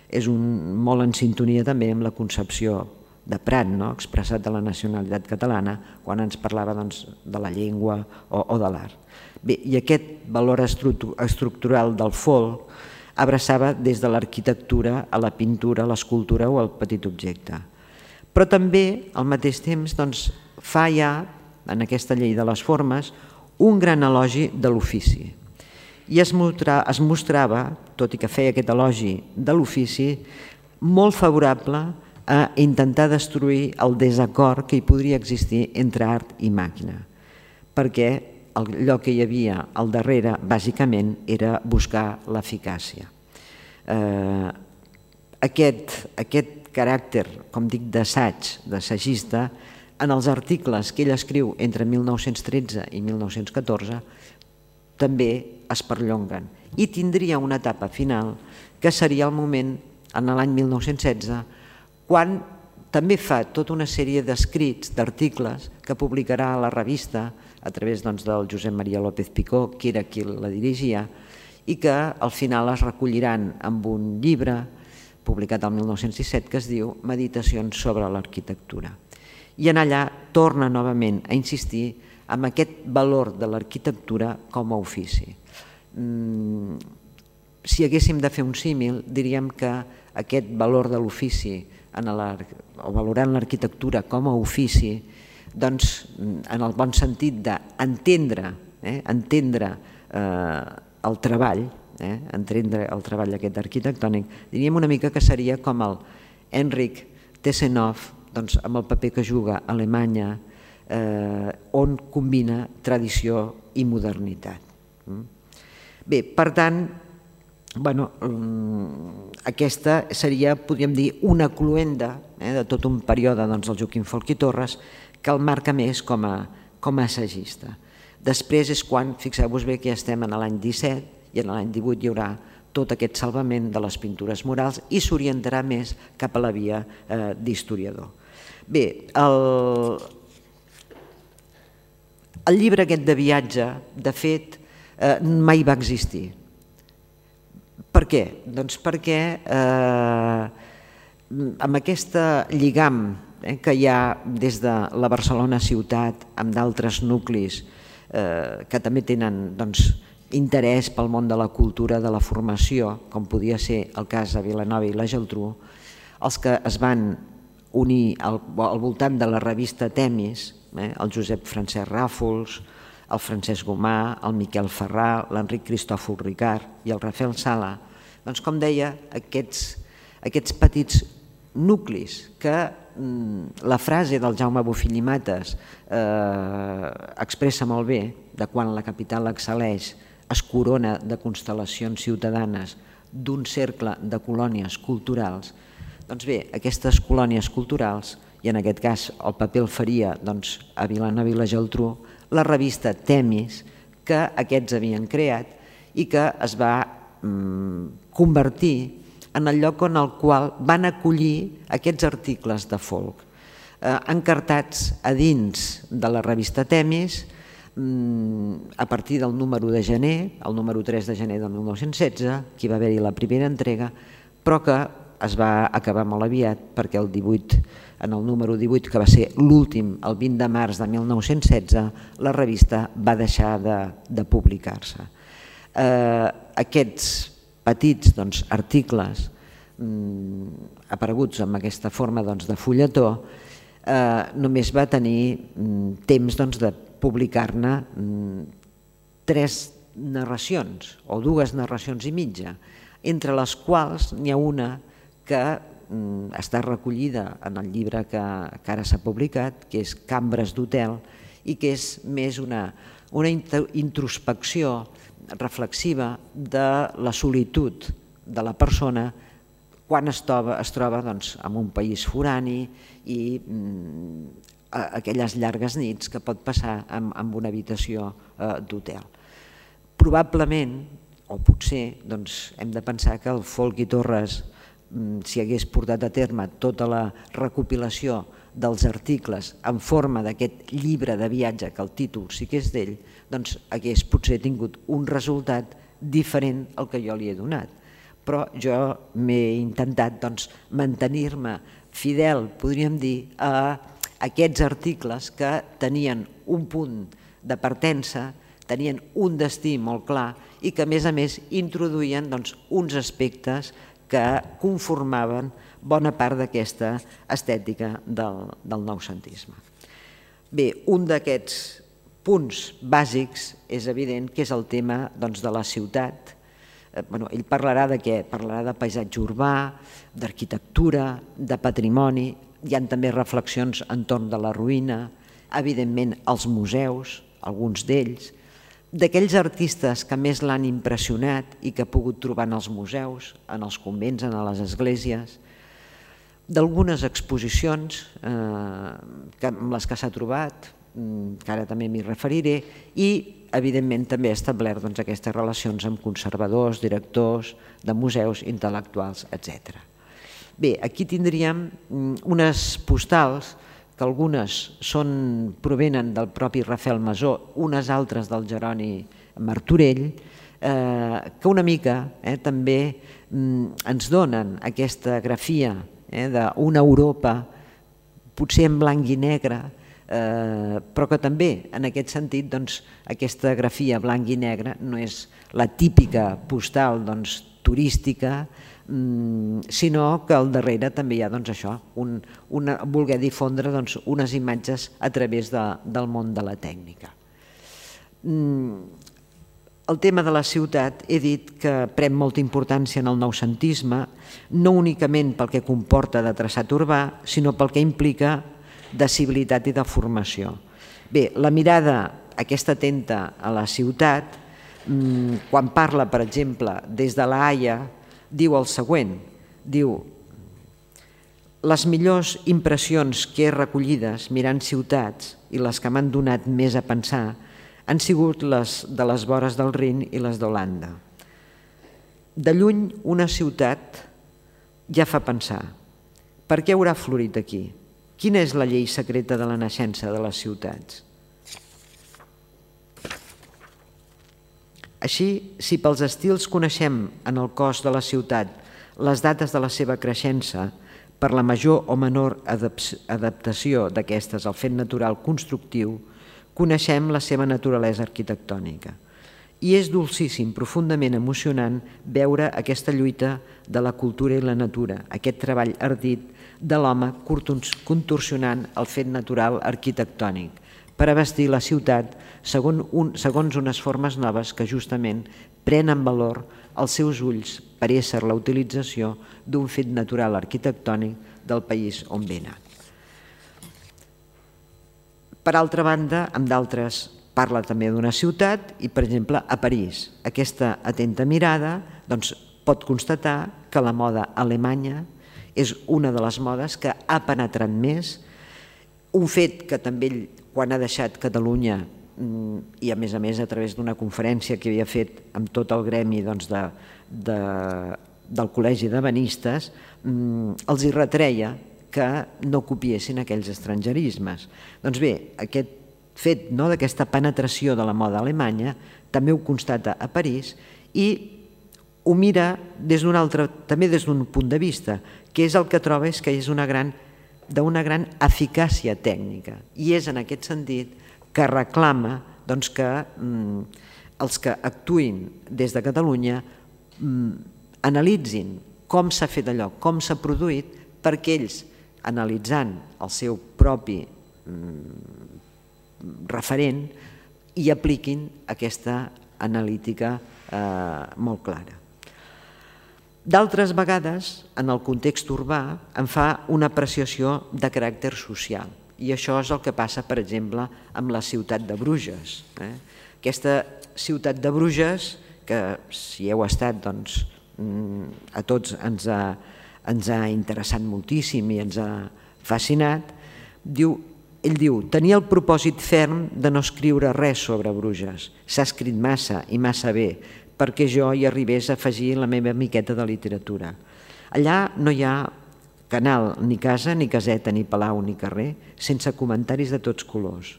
És un, molt en sintonia també amb la concepció de Prat, no? Expressat de la nacionalitat catalana, quan ens parlava doncs, de la llengua o, o de l'art. Bé, i aquest valor estructural del folk abraçava des de l'arquitectura a la pintura, a l'escultura o al petit objecte. Però també, al mateix temps, doncs, fa ja, en aquesta llei de les formes, un gran elogi de l'ofici. I es, mostra, es mostrava, tot i que feia aquest elogi de l'ofici, molt favorable a intentar destruir el desacord que hi podria existir entre art i màquina, perquè allò que hi havia al darrere, bàsicament, era buscar l'eficàcia. Eh, aquest, aquest caràcter, com dic, d'assaig, d'assagista, en els articles que ell escriu entre mil nou-cents tretze i mil nou-cents catorze, també es perllonguen. I tindria una etapa final, que seria el moment, en l'any mil nou-cents setze, quan també fa tota una sèrie d'escrits, d'articles, que publicarà a la revista, a través del Josep Maria López Picó, que era qui la dirigia, i que al final es recolliran amb un llibre publicat el mil nou-cents disset que es diu Meditacions sobre l'arquitectura. I en allà torna novament a insistir en aquest valor de l'arquitectura com a ofici. Si haguéssim de fer un símil, diríem que aquest valor de l'ofici, o valorant l'arquitectura com a ofici, doncs, en el bon sentit d'entendre eh, entendre eh, el treball, eh, entendre el treball aquest arquitectònic, diríem una mica que seria com el Henrik Tessenhoff, doncs, amb el paper que juga a Alemanya, eh, on combina tradició i modernitat. Bé, per tant, bueno, aquesta seria, podríem dir, una cluenda eh, de tot un període doncs, del Joaquim Folch i Torres, que el marca més com a, com a assagista. Després és quan, fixeu-vos bé que ja estem en l'any disset i en l'any divuit hi haurà tot aquest salvament de les pintures murals i s'orientarà més cap a la via eh, d'historiador. Bé, el, el llibre aquest de viatge, de fet, eh, mai va existir. Per què? Doncs perquè eh, amb aquesta lligam eh, que hi ha des de la Barcelona ciutat amb d'altres nuclis eh, que també tenen doncs, interès pel món de la cultura, de la formació, com podia ser el cas de Vilanova i la Geltrú, els que es van unir al, al voltant de la revista Temis, eh, el Josep Francesc Ràfols, el Francesc Gomà, el Miquel Ferrà, l'Enric Cristòfol Ricard i el Rafael Sala, doncs com deia, aquests, aquests petits nuclis que mm, la frase del Jaume Bofill i Mates eh, expressa molt bé, de quan la capital excel·leix es corona de constel·lacions ciutadanes d'un cercle de colònies culturals, doncs bé, aquestes colònies culturals, i en aquest cas el paper el faria doncs, a Vilanova i la Geltrú, la revista Temis, que aquests havien creat i que es va mm, convertir en el lloc en el qual van acollir aquests articles de folk. encartats a dins de la revista Temis a partir del número de gener, el número tres de gener del mil nou-cents setze, que hi va haver-hi la primera entrega, però que es va acabar molt aviat perquè el divuit, en el número divuit, que va ser l'últim, el vint de març de mil nou-cents setze, la revista va deixar de, de publicar-se. Eh, aquests petits doncs, articles mm, apareguts amb aquesta forma doncs, de fulletó eh, només va tenir mm, temps doncs, de publicar-ne mm, tres narracions o dues narracions i mitja, entre les quals n'hi ha una que mm, està recollida en el llibre que, que ara s'ha publicat, que és Cambres d'hotel, i que és més una, una introspecció reflexiva de la solitud de la persona quan es troba, es troba doncs, en un país forani i mm, aquelles llargues nits que pot passar en, en una habitació eh, d'hotel. Probablement, o potser, doncs, hem de pensar que el Folchi Torres, si hagués portat a terme tota la recopilació dels articles en forma d'aquest llibre de viatge, que el títol sí que és d'ell, doncs hagués potser tingut un resultat diferent al que jo li he donat. Però jo m'he intentat doncs, mantenir-me fidel, podríem dir, a aquests articles que tenien un punt de partença, tenien un destí molt clar i que a més a més introduïen doncs, uns aspectes que conformaven bona part d'aquesta estètica del, del noucentisme. Bé, un d'aquests punts bàsics és evident que és el tema doncs, de la ciutat. Eh, bueno, ell parlarà de què? Parlarà de paisatge urbà, d'arquitectura, de patrimoni, hi ha també reflexions entorn de la ruïna, evidentment els museus, alguns d'ells, d'aquells artistes que més l'han impressionat i que ha pogut trobar en els museus, en els convents, en les esglésies, d'algunes exposicions eh, amb les que s'ha trobat, que ara també m'hi referiré, i evidentment també ha establert doncs, aquestes relacions amb conservadors, directors de museus, intel·lectuals, etcètera. Bé, aquí tindríem unes postals que algunes són, provenen del propi Rafael Masó, unes altres del Jeroni Martorell, eh, que una mica eh, també mm, ens donen aquesta grafia eh, d'una Europa, potser en blanc i negre, eh, però que també en aquest sentit doncs, aquesta grafia blanc i negre no és la típica postal doncs, turística, sinó que al darrere també hi ha doncs, això, un, una, voler difondre doncs, unes imatges a través de, del món de la tècnica. El tema de la ciutat he dit que pren molta importància en el noucentisme, no únicament pel que comporta de traçat urbà, sinó pel que implica de civilitat i de formació. Bé, la mirada aquesta atenta a la ciutat, quan parla, per exemple, des de la Haia, diu el següent, diu: les millors impressions que he recollides mirant ciutats i les que m'han donat més a pensar han sigut les de les vores del Rin i les d'Holanda. De lluny una ciutat ja fa pensar, per què haurà florit aquí? Quina és la llei secreta de la naixença de les ciutats? Així, si pels estils coneixem en el cos de la ciutat les dates de la seva creixença per la major o menor adaptació d'aquestes al fet natural constructiu, coneixem la seva naturalesa arquitectònica. I és dolcíssim, profundament emocionant, veure aquesta lluita de la cultura i la natura, aquest treball ardit de l'home contorsionant el fet natural arquitectònic, per abastir la ciutat segons unes formes noves que justament prenen valor als seus ulls per ésser la utilització d'un fet natural arquitectònic del país on venen. Per altra banda, amb d'altres parla també d'una ciutat i, per exemple, a París. Aquesta atenta mirada pot constatar que la moda alemanya és una de les modes que ha penetrat més, un fet que també ell, quan ha deixat Catalunya, i a més a més a través d'una conferència que havia fet amb tot el gremi del Col·legi d'Ebenistes, els hi retreia que no copiessin aquells estrangerismes. Doncs bé, aquest fet d'aquesta penetració de la moda alemanya també ho constata a París i ho mira des d'un altre, també des d'un punt de vista, que és el que troba és que és una gran, d'una gran eficàcia tècnica. I és en aquest sentit que reclama doncs, que mm, els que actuïn des de Catalunya mm, analitzin com s'ha fet allò, com s'ha produït, perquè ells, analitzant el seu propi mm, referent, hi apliquin aquesta analítica eh, molt clara. D'altres vegades, en el context urbà, en fa una apreciació de caràcter social. I això és el que passa, per exemple, amb la ciutat de Bruges. Eh? Aquesta ciutat de Bruges, que si heu estat, doncs, a tots ens ha, ens ha interessat moltíssim i ens ha fascinat, diu, ell diu, tenia el propòsit ferm de no escriure res sobre Bruges. S'ha escrit massa i massa bé, perquè jo hi arribés a afegir la meva miqueta de literatura. Allà no hi ha canal, ni casa, ni caseta, ni palau, ni carrer, sense comentaris de tots colors.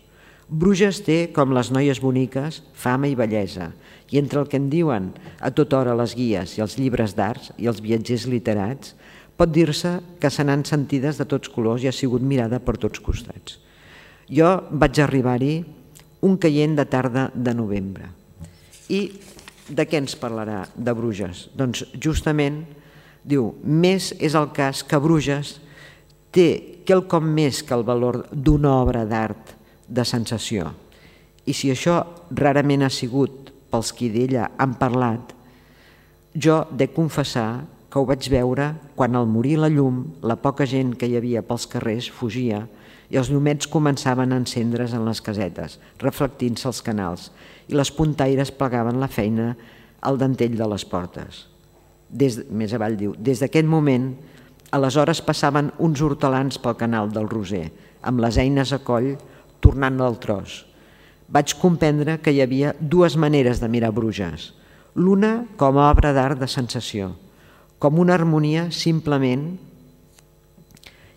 Bruges té, com les noies boniques, fama i bellesa, i entre el que en diuen a tota hora les guies i els llibres d'arts i els viatgers literats, pot dir-se que se n'han sentides de tots colors i ha sigut mirada per tots costats. Jo vaig arribar-hi un caient de tarda de novembre. I de què ens parlarà de Bruges? Doncs justament, diu, més és el cas que Bruges té quelcom més que el valor d'una obra d'art de sensació. I si això rarament ha sigut pels qui d'ella han parlat, jo de confessar que ho vaig veure quan al morir la llum, la poca gent que hi havia pels carrers fugia i els llumets començaven a encendre's en les casetes, reflectint-se als canals, i les puntaires plegaven la feina al dentell de les portes. Des, més avall diu, des d'aquest moment, aleshores passaven uns hortelans pel canal del Roser, amb les eines a coll, tornant del tros. Vaig comprendre que hi havia dues maneres de mirar Bruges. L'una com a obra d'art de sensació, com una harmonia simplement,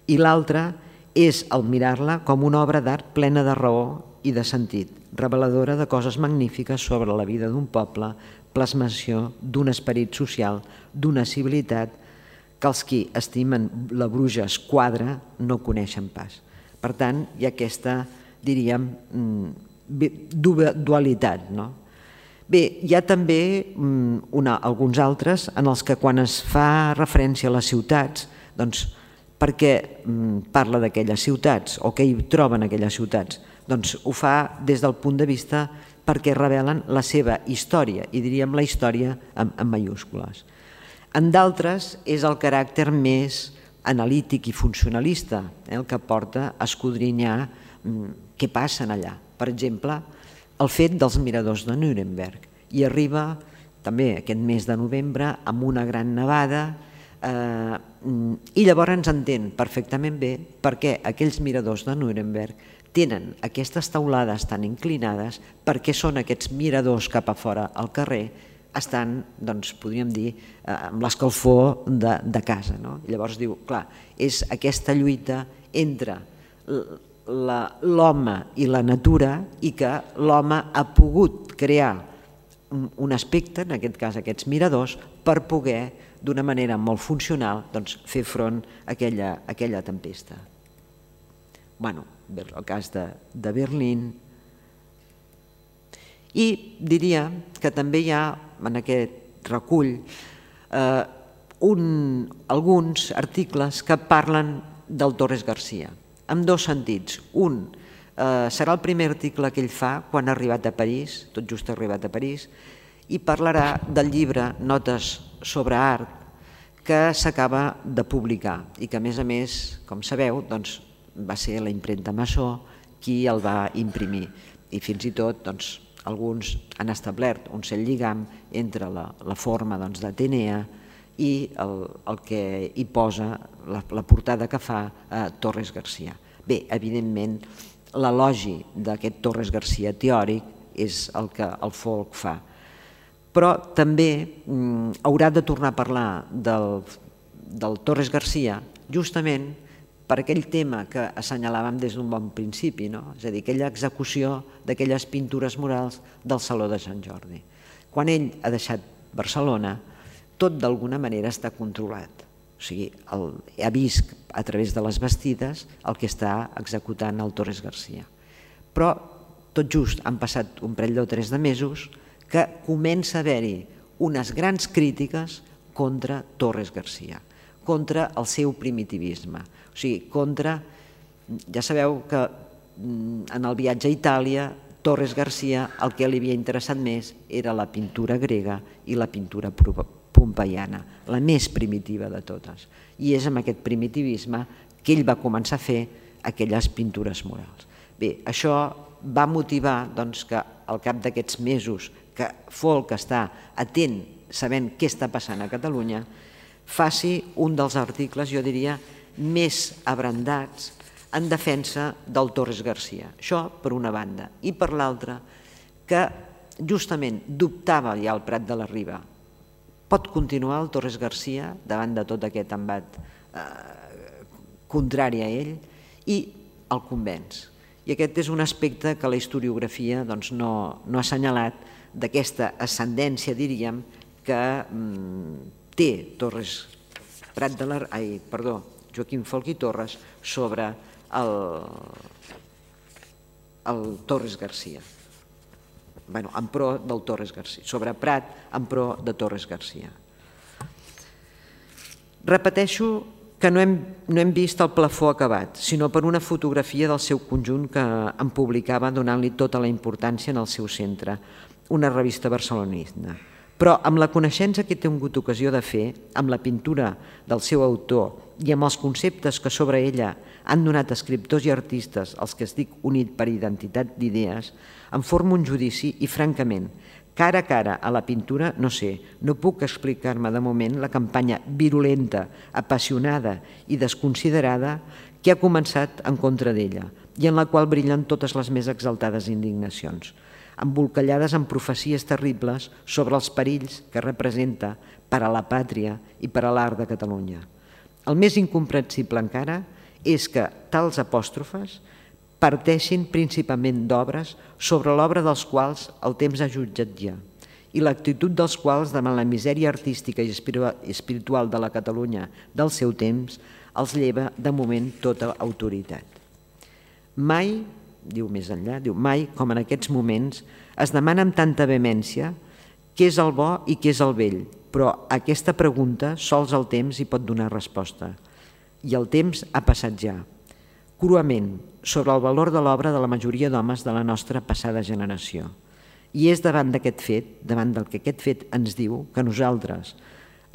i l'altra és el mirar-la com una obra d'art plena de raó i de sentit, reveladora de coses magnífiques sobre la vida d'un poble, plasmació d'un esperit social, d'una civilitat que els qui estimen la Bruges quadra no coneixen pas. Per tant, hi ha aquesta, diríem, dualitat. No? Bé, hi ha també una, alguns altres en els que quan es fa referència a les ciutats, doncs per què parla d'aquelles ciutats o què hi troben aquelles ciutats? Doncs ho fa des del punt de vista perquè revelen la seva història, i diríem la història en, en mayúscules. En d'altres és el caràcter més analític i funcionalista, eh, el que porta a escodrinyar mm, què passa allà. Per exemple, el fet dels miradors de Nuremberg. I arriba també aquest mes de novembre amb una gran nevada eh, i llavors ens entén perfectament bé perquè aquells miradors de Nuremberg tenen aquestes teulades tan inclinades perquè són aquests miradors cap a fora al carrer, estan, doncs, podríem dir, amb l'escalfor de, de casa. No? Llavors diu, clar, és aquesta lluita entre l'home i la natura i que l'home ha pogut crear un aspecte, en aquest cas aquests miradors, per poder, d'una manera molt funcional, doncs, fer front a aquella, a aquella tempesta. Bueno, el cas de, de Berlín. I diria que també hi ha en aquest recull eh, un, alguns articles que parlen del Torres Garcia, en dos sentits. Un eh, serà el primer article que ell fa quan ha arribat a París, tot just ha arribat a París, i parlarà del llibre Notes sobre art que s'acaba de publicar i que, a més a més, com sabeu, doncs, va ser la impremta Massó qui el va imprimir i fins i tot doncs, alguns han establert un cert lligam entre la, la forma doncs, d'Atenea i el, el que hi posa, la, la portada que fa eh, Torres Garcia. Bé, evidentment, l'elogi d'aquest Torres Garcia teòric és el que el folk fa, però també mm, haurà de tornar a parlar del, del Torres Garcia justament per aquell tema que assenyalàvem des d'un bon principi, és a dir, aquella execució d'aquelles pintures murals del Saló de Sant Jordi. Quan ell ha deixat Barcelona, tot d'alguna manera està controlat. O sigui, ha vist a través de les bastides el que està executant el Torres Garcia. Però tot just han passat un parell o tres de mesos que comença a haver-hi unes grans crítiques contra Torres Garcia, contra el seu primitivisme. O sigui, contra... Ja sabeu que en el viatge a Itàlia, Torres Garcia el que li havia interessat més era la pintura grega i la pintura pompeiana, la més primitiva de totes. I és amb aquest primitivisme que ell va començar a fer aquelles pintures murals. Bé, això va motivar que al cap d'aquests mesos que Folk està atent, sabent què està passant a Catalunya, faci un dels articles, jo diria, més abrandats en defensa del Torres Garcia. Això per una banda. I per l'altra, que justament dubtava ja el Prat de la Riba. Pot continuar el Torres Garcia davant de tot aquest embat contrari a ell i el convenç. I aquest és un aspecte que la historiografia no ha assenyalat d'aquesta ascendència, diríem, que té Torres Prat de la... Ai, perdó, Joaquim Folch i Torres sobre el Torres Garcia. Bé, en pro del Torres Garcia. Sobre Prat, en pro de Torres Garcia. Repeteixo que no hem, no hem vist el plafó acabat, sinó per una fotografia del seu conjunt que en publicava donant-li tota la importància en el seu centre, una revista barcelonina. Però amb la coneixença que he tingut ocasió de fer, amb la pintura del seu autor i amb els conceptes que sobre ella han donat escriptors i artistes als que estic unit per identitat d'idees, em formo un judici i, francament, cara a cara a la pintura, no sé, no puc explicar-me de moment la campanya virulenta, apassionada i desconsiderada que ha començat en contra d'ella i en la qual brillen totes les més exaltades indignacions, embolcallades en profecies terribles sobre els perills que representa per a la pàtria i per a l'art de Catalunya. El més incomprensible encara és que tals apòstrofes parteixin principalment d'obres sobre l'obra dels quals el temps ha jutjat ja i l'actitud dels quals davant la misèria artística i espiritual de la Catalunya del seu temps els lleva de moment tota autoritat. Mai, diu més enllà, diu mai, com en aquests moments, es demana amb tanta vehemència què és el bo i què és el vell, però a aquesta pregunta sols el temps hi pot donar resposta. I el temps ha passat ja, cruament, sobre el valor de l'obra de la majoria d'homes de la nostra passada generació. I és davant d'aquest fet, davant del que aquest fet ens diu, que nosaltres,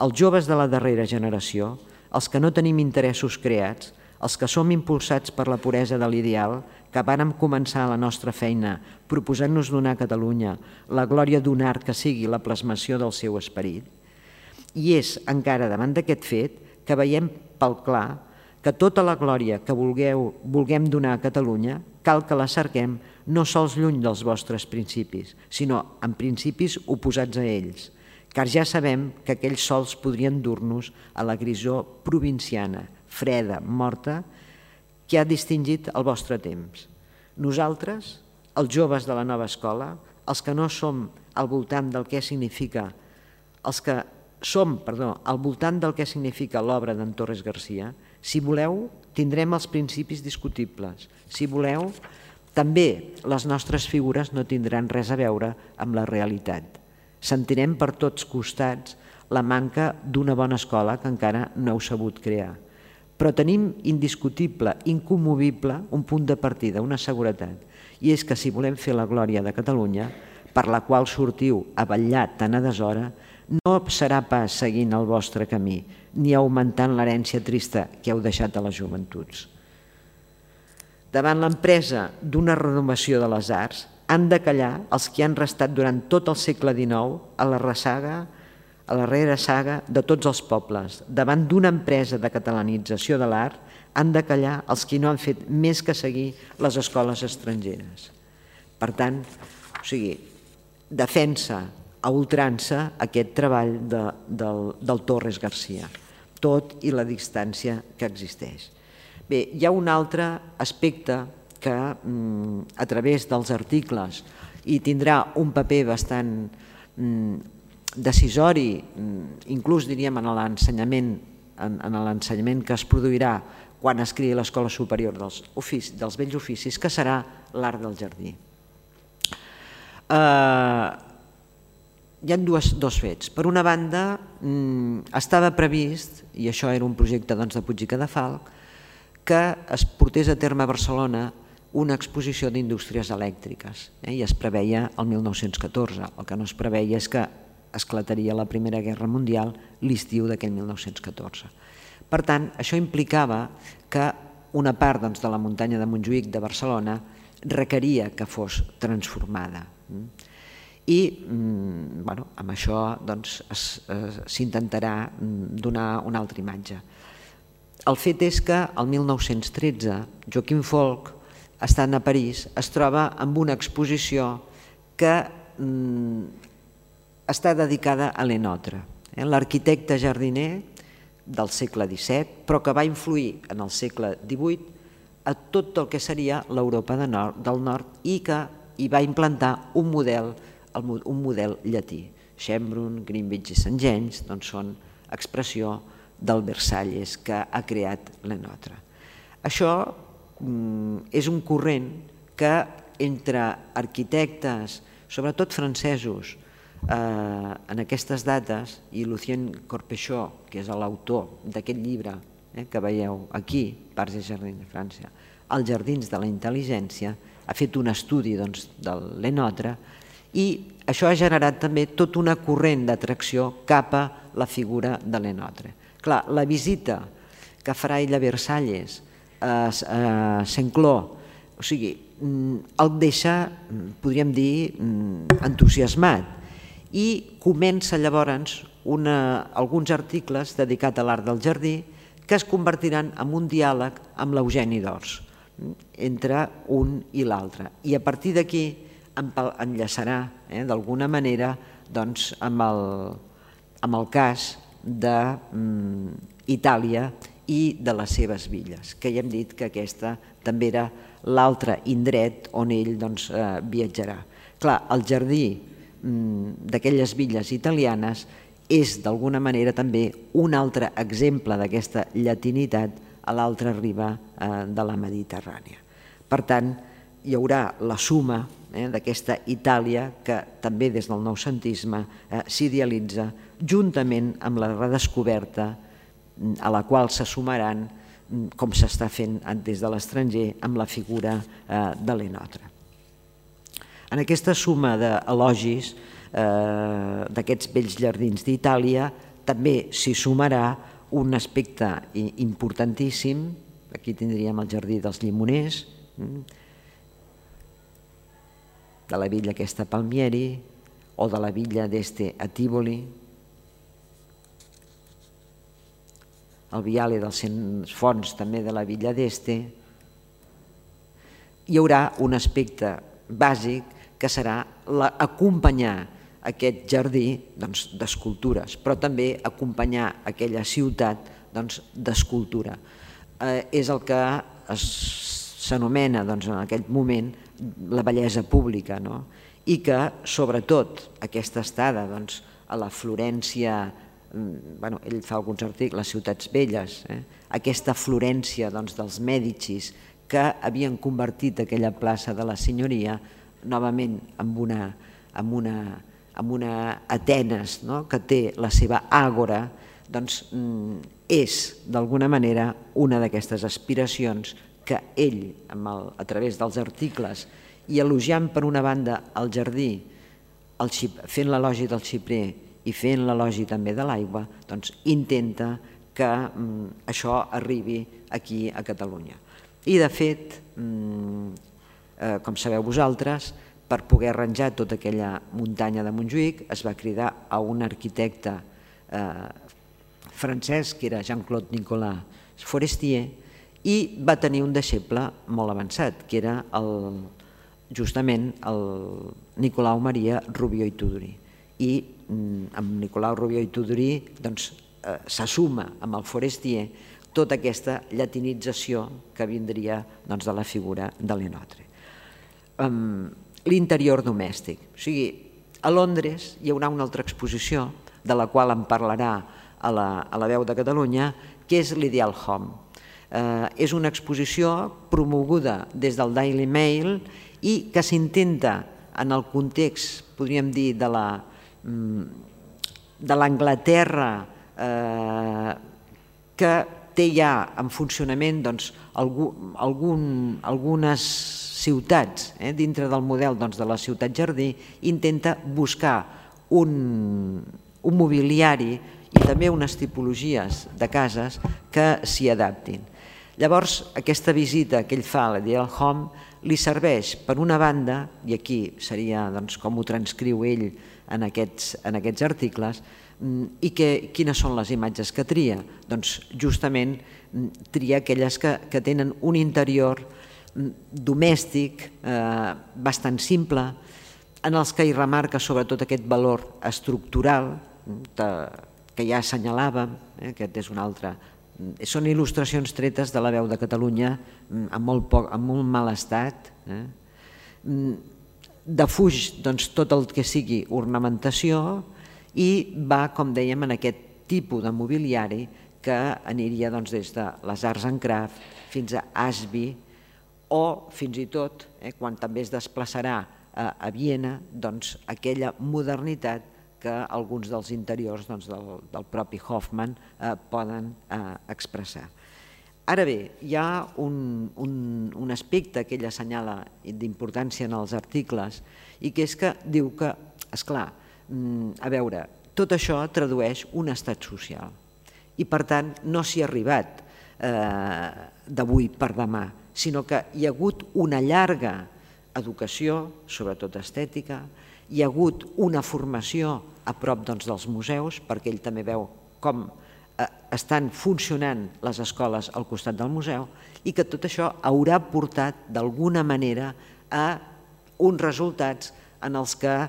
els joves de la darrera generació, els que no tenim interessos creats, els que som impulsats per la puresa de l'ideal, que vàrem començar la nostra feina proposant-nos donar a Catalunya la glòria d'un art que sigui la plasmació del seu esperit, i és encara davant d'aquest fet que veiem pel clar que tota la glòria que vulguem donar a Catalunya cal que la cerquem no sols lluny dels vostres principis, sinó en principis oposats a ells, car ja sabem que aquells sols podrien dur-nos a la grisor provinciana, freda, morta, que ha distingit el vostre temps. Nosaltres, els joves de la nova escola, els que no som al voltant del que significa, els que som, perdó, al voltant del que significa l'obra d'en Torres Garcia, si voleu, tindrem els principis discutibles. Si voleu, també les nostres figures no tindran res a veure amb la realitat. Sentirem per tots costats la manca d'una bona escola que encara no heu sabut crear. Però tenim indiscutible, incommovible, un punt de partida, una seguretat, i és que si volem fer la glòria de Catalunya, per la qual sortiu a vetllar tant a deshora, no serà pas seguint el vostre camí, ni augmentant l'herència trista que heu deixat a les joventuts. Davant l'empresa d'una renovació de les arts, han de callar els que han restat durant tot el segle dinou a la ressaga, a la reressaga de tots els pobles. Davant d'una empresa de catalanització de l'art, han de callar els que no han fet més que seguir les escoles estrangeres. Per tant, o sigui, defensa a ultrança aquest treball del Torres Garcia, tot i la distància que existeix. Bé, hi ha un altre aspecte que a través dels articles i tindrà un paper bastant decisori, inclús diríem en l'ensenyament en l'ensenyament que es produirà quan es creï l'Escola Superior dels Bells Oficis, que serà l'art del jardí. Hi ha dos fets. Per una banda, estava previst, i això era un projecte de Puig i Cadafalch, que es portés a terme a Barcelona una exposició d'indústries elèctriques, i es preveia el mil nou-cents catorze. El que no es preveia és que esclataria la Primera Guerra Mundial l'estiu d'aquell mil nou-cents catorze. Per tant, això implicava que una part de la muntanya de Montjuïc de Barcelona requeria que fos transformada. I amb això s'intentarà donar una altra imatge. El fet és que el mil nou-cents tretze Joaquim Folch, estant a París, es troba amb una exposició que està dedicada a Lenotre, l'arquitecte jardiner del segle disset, però que va influir en el segle divuit a tot el que seria l'Europa del Nord i que hi va implantar un model un model llatí. Schönbrunn, Greenwich i Saint-James són expressió del Versalles que ha creat Lenotre. Això és un corrent que entre arquitectes, sobretot francesos, en aquestes dates, i Lucien Corpechot, que és l'autor d'aquest llibre que veieu aquí, Parcs et Jardins de França, Els jardins de la intel·ligència, ha fet un estudi del Lenotre i això ha generat també tot una corrent d'atracció cap a la figura de Lenotre. Clar, la visita que farà ell a Versalles, a Saint-Cloud, o sigui, el deixa, podríem dir, entusiasmat i comença llavors alguns articles dedicats a l'art del jardí que es convertiran en un diàleg amb l'Eugeni d'Ors entre un i l'altre. I a partir d'aquí enllaçarà d'alguna manera amb el cas d'Itàlia i de les seves villes, que ja hem dit que aquesta també era l'altre indret on ell viatjarà. Clar, el jardí d'aquelles villes italianes és d'alguna manera també un altre exemple d'aquesta llatinitat a l'altra riba de la Mediterrània. Per tant, hi haurà la suma d'aquesta Itàlia que també des del noucentisme s'idealitza juntament amb la redescoberta a la qual se sumaran, com s'està fent des de l'estranger, amb la figura de Lenotre. En aquesta suma d'elogis d'aquests bells jardins d'Itàlia també s'hi sumarà un aspecte importantíssim. Aquí tindríem el jardí dels llimoners, de la villa aquesta Palmieri, o de la villa d'Este a Tívoli, el viale dels cent fonts també de la villa d'Este. Hi haurà un aspecte bàsic que serà acompanyar aquest jardí d'escultures, però també acompanyar aquella ciutat d'escultura. És el que s'anomena en aquell moment la bellesa pública, i que sobretot aquesta estada a la Florència, ell fa alguns articles, les ciutats velles, aquesta Florència dels Mèdicis que havien convertit aquella plaça de la Senyoria novament en una Atenes que té la seva àgora, és d'alguna manera una d'aquestes aspiracions que ell, a través dels articles, i elogiant per una banda el jardí, fent l'elogi del xiprer i fent l'elogi també de l'aigua, intenta que això arribi aquí a Catalunya. I de fet, com sabeu vosaltres, per poder arranjar tota aquella muntanya de Montjuïc es va cridar a un arquitecte francès, que era Jean-Claude Nicolas Forestier, i va tenir un deixeble molt avançat, que era justament el Nicolau Maria Rubió i Tudurí. I amb Nicolau Rubió i Tudurí s'assuma amb el Forestier tota aquesta llatinització que vindria de la figura de Lenotre. L'interior domèstic. O sigui, a Londres hi haurà una altra exposició, de la qual en parlarà a la Veu de Catalunya, que és l'Ideal Home. És una exposició promoguda des del Daily Mail i que s'intenta, en el context, podríem dir, de l'Anglaterra que té ja en funcionament algunes ciutats dintre del model de la ciutat jardí, intenta buscar un mobiliari i també unes tipologies de cases que s'hi adaptin. Llavors, aquesta visita que ell fa a l'Ideal Home li serveix, per una banda, i aquí seria com ho transcriu ell en aquests articles, i quines són les imatges que tria? Doncs justament tria aquelles que tenen un interior domèstic bastant simple, en els que hi remarca sobretot aquest valor estructural que ja assenyalàvem, aquest és un altre. Són il·lustracions tretes de la Veu de Catalunya en molt mal estat. Defuig tot el que sigui ornamentació i va, com dèiem, en aquest tipus de mobiliari que aniria des de les arts en craft fins a Ashby o fins i tot, quan també es desplaçarà a Viena, aquella modernitat que alguns dels interiors del propi Hofmann poden expressar. Ara bé, hi ha un aspecte que ell assenyala d'importància en els articles i que és que diu que, esclar, a veure, tot això tradueix un estat social i per tant no s'hi ha arribat d'avui per demà, sinó que hi ha hagut una llarga educació, sobretot estètica, hi ha hagut una formació a prop dels museus, perquè ell també veu com estan funcionant les escoles al costat del museu i que tot això haurà portat d'alguna manera a uns resultats en els que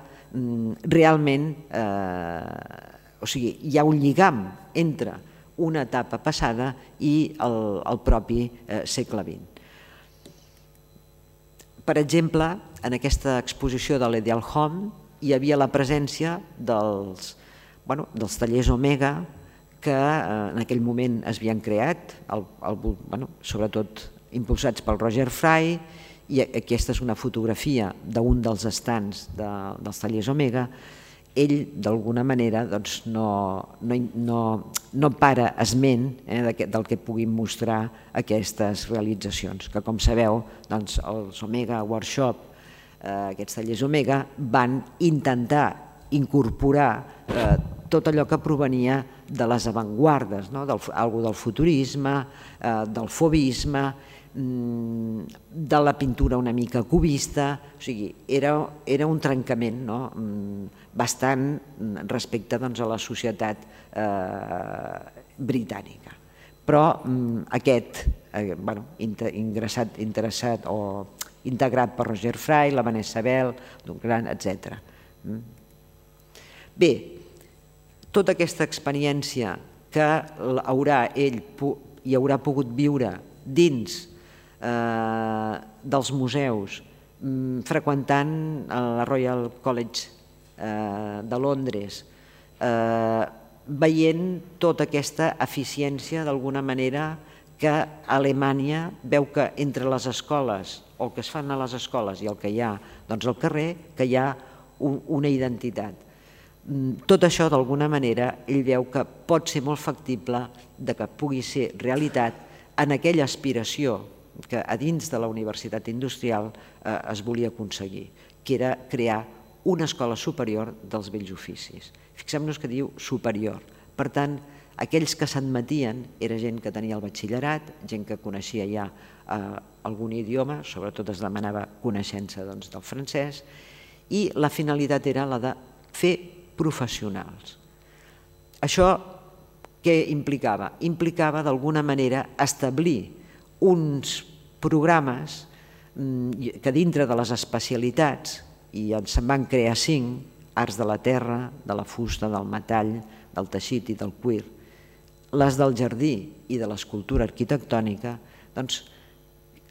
realment hi ha un lligam entre una etapa passada i el propi segle vint. Per exemple, en aquesta exposició de l'Ideal Home hi havia la presència dels tallers Omega que en aquell moment es havien creat, sobretot impulsats pel Roger Fry, i aquesta és una fotografia d'un dels estants dels tallers Omega. Ell, d'alguna manera, no para esment del que puguin mostrar aquestes realitzacions, que com sabeu, els Omega Workshop, aquests tallers Omega, van intentar incorporar tot allò que provenia de les avantguardes, alguna del futurisme, del fauvisme, de la pintura una mica cubista, o sigui, era un trencament bastant respecte a la societat britànica. Però aquest, interessat o integrat per Roger Fry, la Vanessa Bell, etcètera. Bé, tota aquesta experiència que haurà ell i haurà pogut viure dins dels museus, freqüentant la Royal College de Londres, veient tota aquesta eficiència d'alguna manera que Alemanya veu que entre les escoles, o el que es fan a les escoles i el que hi ha al carrer, que hi ha una identitat. Tot això, d'alguna manera, ell veu que pot ser molt factible que pugui ser realitat en aquella aspiració que a dins de la Universitat Industrial es volia aconseguir, que era crear una escola superior dels bells oficis. Fixem-nos que diu superior. Per tant, aquells que s'admetien era gent que tenia el batxillerat, gent que coneixia ja algun idioma, sobretot es demanava coneixença del francès, i la finalitat era la de fer professionals. Això què implicava? Implicava d'alguna manera establir uns programes que dintre de les especialitats, i se'n van crear cinc, arts de la terra, de la fusta, del metall, del teixit i del cuir, les del jardí i de l'escultura arquitectònica, doncs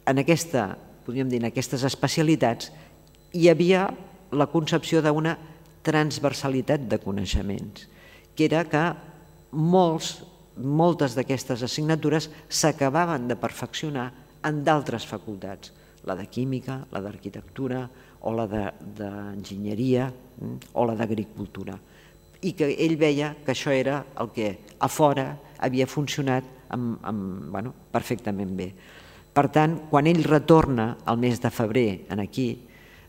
en aquesta, podríem dir, en aquestes especialitats hi havia la concepció d'una transversalitat de coneixements, que era que molts, moltes d'aquestes assignatures s'acabaven de perfeccionar en d'altres facultats, la de química, la d'arquitectura o la d'enginyeria o la d'agricultura, i que ell veia que això era el que a fora havia funcionat amb, amb, bueno, perfectament bé. Per tant, quan ell retorna al mes de febrer en aquí,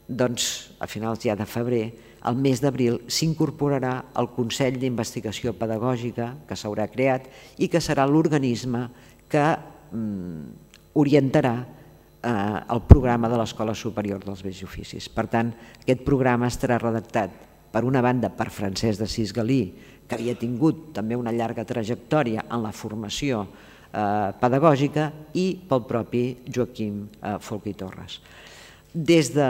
doncs a finals ja de febrer, al mes d'abril s'incorporarà al Consell d'Investigació Pedagògica que s'haurà creat i que serà l'organisme que mm, orientarà eh, el programa de l'Escola Superior dels Bells i Oficis. Per tant, aquest programa estarà redactat per una banda per Francesc d'Assís Galí, que havia tingut també una llarga trajectòria en la formació eh, pedagògica, i pel propi Joaquim eh, Folch i Torres. Des de,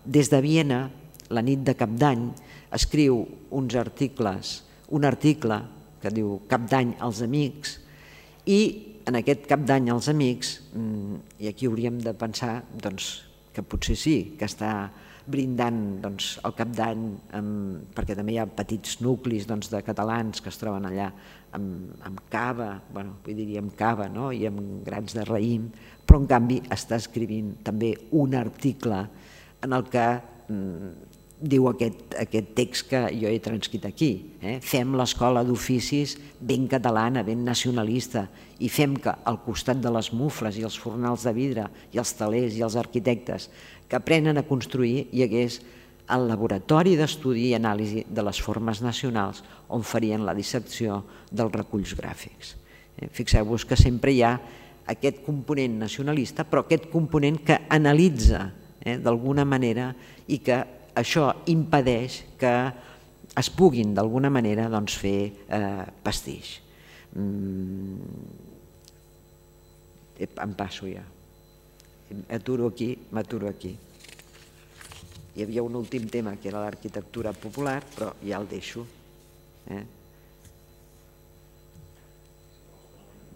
des de Viena, la nit de Cap d'Any, escriu uns articles, un article que diu Cap d'Any als amics, i en aquest Cap d'Any als amics, i aquí hauríem de pensar doncs, que potser sí, que està brindant doncs, el Cap d'Any, perquè també hi ha petits nuclis doncs, de catalans que es troben allà amb, amb cava, bueno, vull dir, amb cava, no? I amb grans de raïm, però en canvi està escrivint també un article en el que mm, diu aquest, aquest text que jo he transcrit aquí. Eh? Fem l'escola d'oficis ben catalana, ben nacionalista, i fem que al costat de les mufles i els fornals de vidre i els telers i els arquitectes que aprenen a construir hi hagués el laboratori d'estudi i anàlisi de les formes nacionals on farien la dissecció dels reculls gràfics. Eh? Fixeu-vos que sempre hi ha aquest component nacionalista, però aquest component que analitza eh, d'alguna manera i que això impedeix que es puguin d'alguna manera doncs, fer eh, pastís. Mm. Em passo ja. M'aturo aquí, m'aturo aquí. Hi havia un últim tema que era l'arquitectura popular, però ja el deixo. Eh?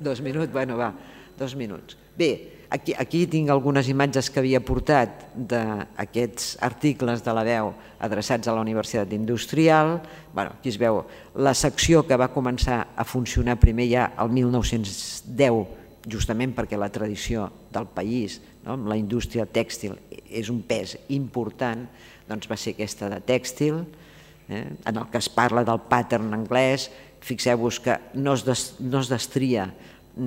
Dos minuts? Bueno, va, dos minuts. Bé, aquí, aquí tinc algunes imatges que havia portat d'aquests articles de La Veu adreçats a la Universitat Industrial. Bueno, aquí es veu la secció que va començar a funcionar primer ja el mil nou-cents deu, justament perquè la tradició del país, no, amb la indústria tèxtil, és un pes important, doncs va ser aquesta de tèxtil, eh, en el que es parla del pattern anglès. Fixeu-vos que no es, des, no es destria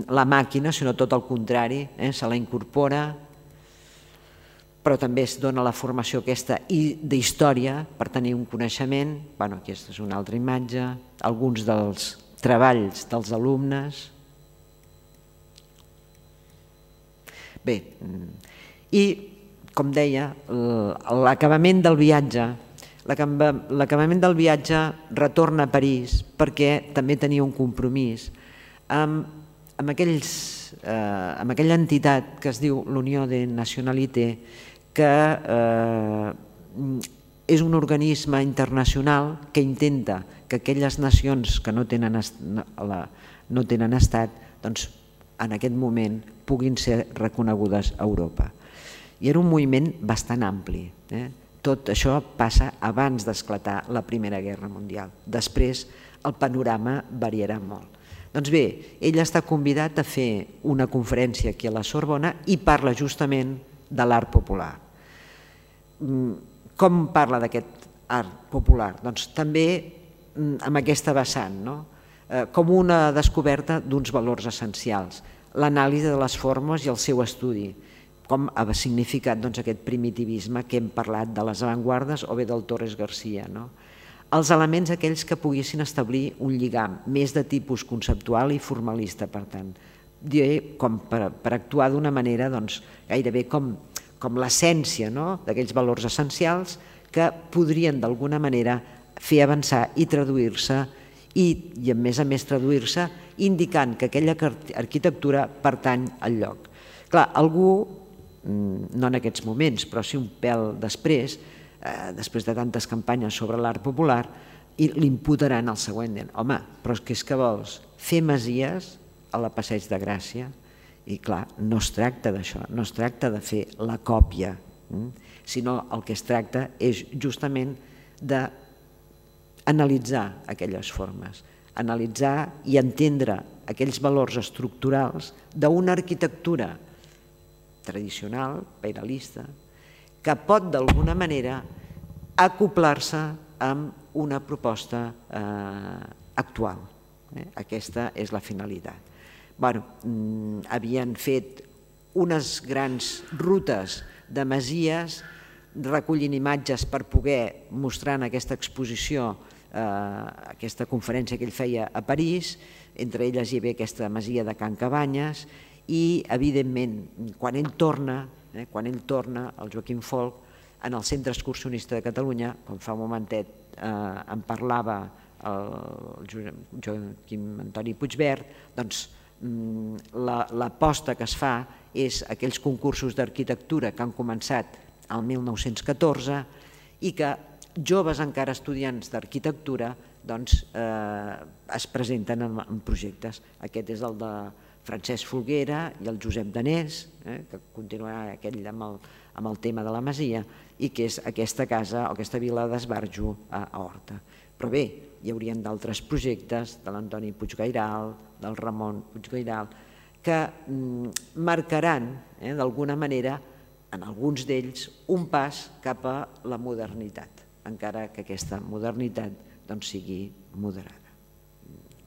la màquina, sinó tot el contrari, eh, se la incorpora, però també es dona la formació aquesta d'història per tenir un coneixement. Bueno, aquesta és una altra imatge, alguns dels treballs dels alumnes. Bé, i com deia, l'acabament del viatge, l'acabament del viatge retorna a París perquè també tenia un compromís amb, amb, aquells, eh, amb aquella entitat que es diu l'Unió de Nationalité, que eh, és un organisme internacional que intenta que aquelles nacions que no tenen, no tenen estat, doncs, en aquest moment puguin ser reconegudes a Europa. I era un moviment bastant ampli. Eh? Tot això passa abans d'esclatar la Primera Guerra Mundial. Després el panorama variarà molt. Doncs bé, ell està convidat a fer una conferència aquí a la Sorbona i parla justament de l'art popular. Com parla d'aquest art popular? Doncs també amb aquesta vessant, no? Com una descoberta d'uns valors essencials, l'anàlisi de les formes i el seu estudi, com ha significat doncs, aquest primitivisme que hem parlat de les avantguardes o bé del Torres Garcia. No? Els elements aquells que poguessin establir un lligam més de tipus conceptual i formalista, per tant, diré com per, per actuar d'una manera doncs, gairebé com, com l'essència, no? D'aquells valors essencials que podrien d'alguna manera fer avançar i traduir-se i, i a més a més traduir-se indicant que aquella arquitectura pertany al lloc. Clar, algú, no en aquests moments, però sí un pèl després, eh, després de tantes campanyes sobre l'art popular, i l'imputaran al següent. Home, però és que vols fer masies a la Passeig de Gràcia? I clar, no es tracta d'això, no es tracta de fer la còpia, sinó el que es tracta és justament d'analitzar aquelles formes, analitzar i entendre aquells valors estructurals d'una arquitectura tradicional, pairalista, que pot d'alguna manera acoplar-se amb una proposta actual. Aquesta és la finalitat. Havien fet unes grans rutes de masies, recollint imatges per poder mostrar en aquesta exposició, aquesta conferència que ell feia a París, entre elles hi havia aquesta masia de Can Cabanyes i, evidentment, quan ell torna, quan ell torna, el Joaquim Folch, en el Centre Excursionista de Catalunya, com fa un momentet en parlava el Joaquim Antoni Puigvert, doncs l'aposta que es fa és aquells concursos d'arquitectura que han començat el mil nou-cents catorze i que joves encara estudiants d'arquitectura es presenten en projectes. Aquest és el de Francesc Folguera i el Josep Danés, que continuarà aquell amb el tema de la masia, i que és aquesta casa o aquesta vila d'Esbarjo a Horta. Però bé, hi haurien d'altres projectes, de l'Antoni Puiggairal, del Ramon Puiggairal, que marcaran d'alguna manera, en alguns d'ells, un pas cap a la modernitat, encara que aquesta modernitat sigui moderada.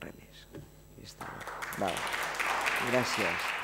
Res més. Gràcies.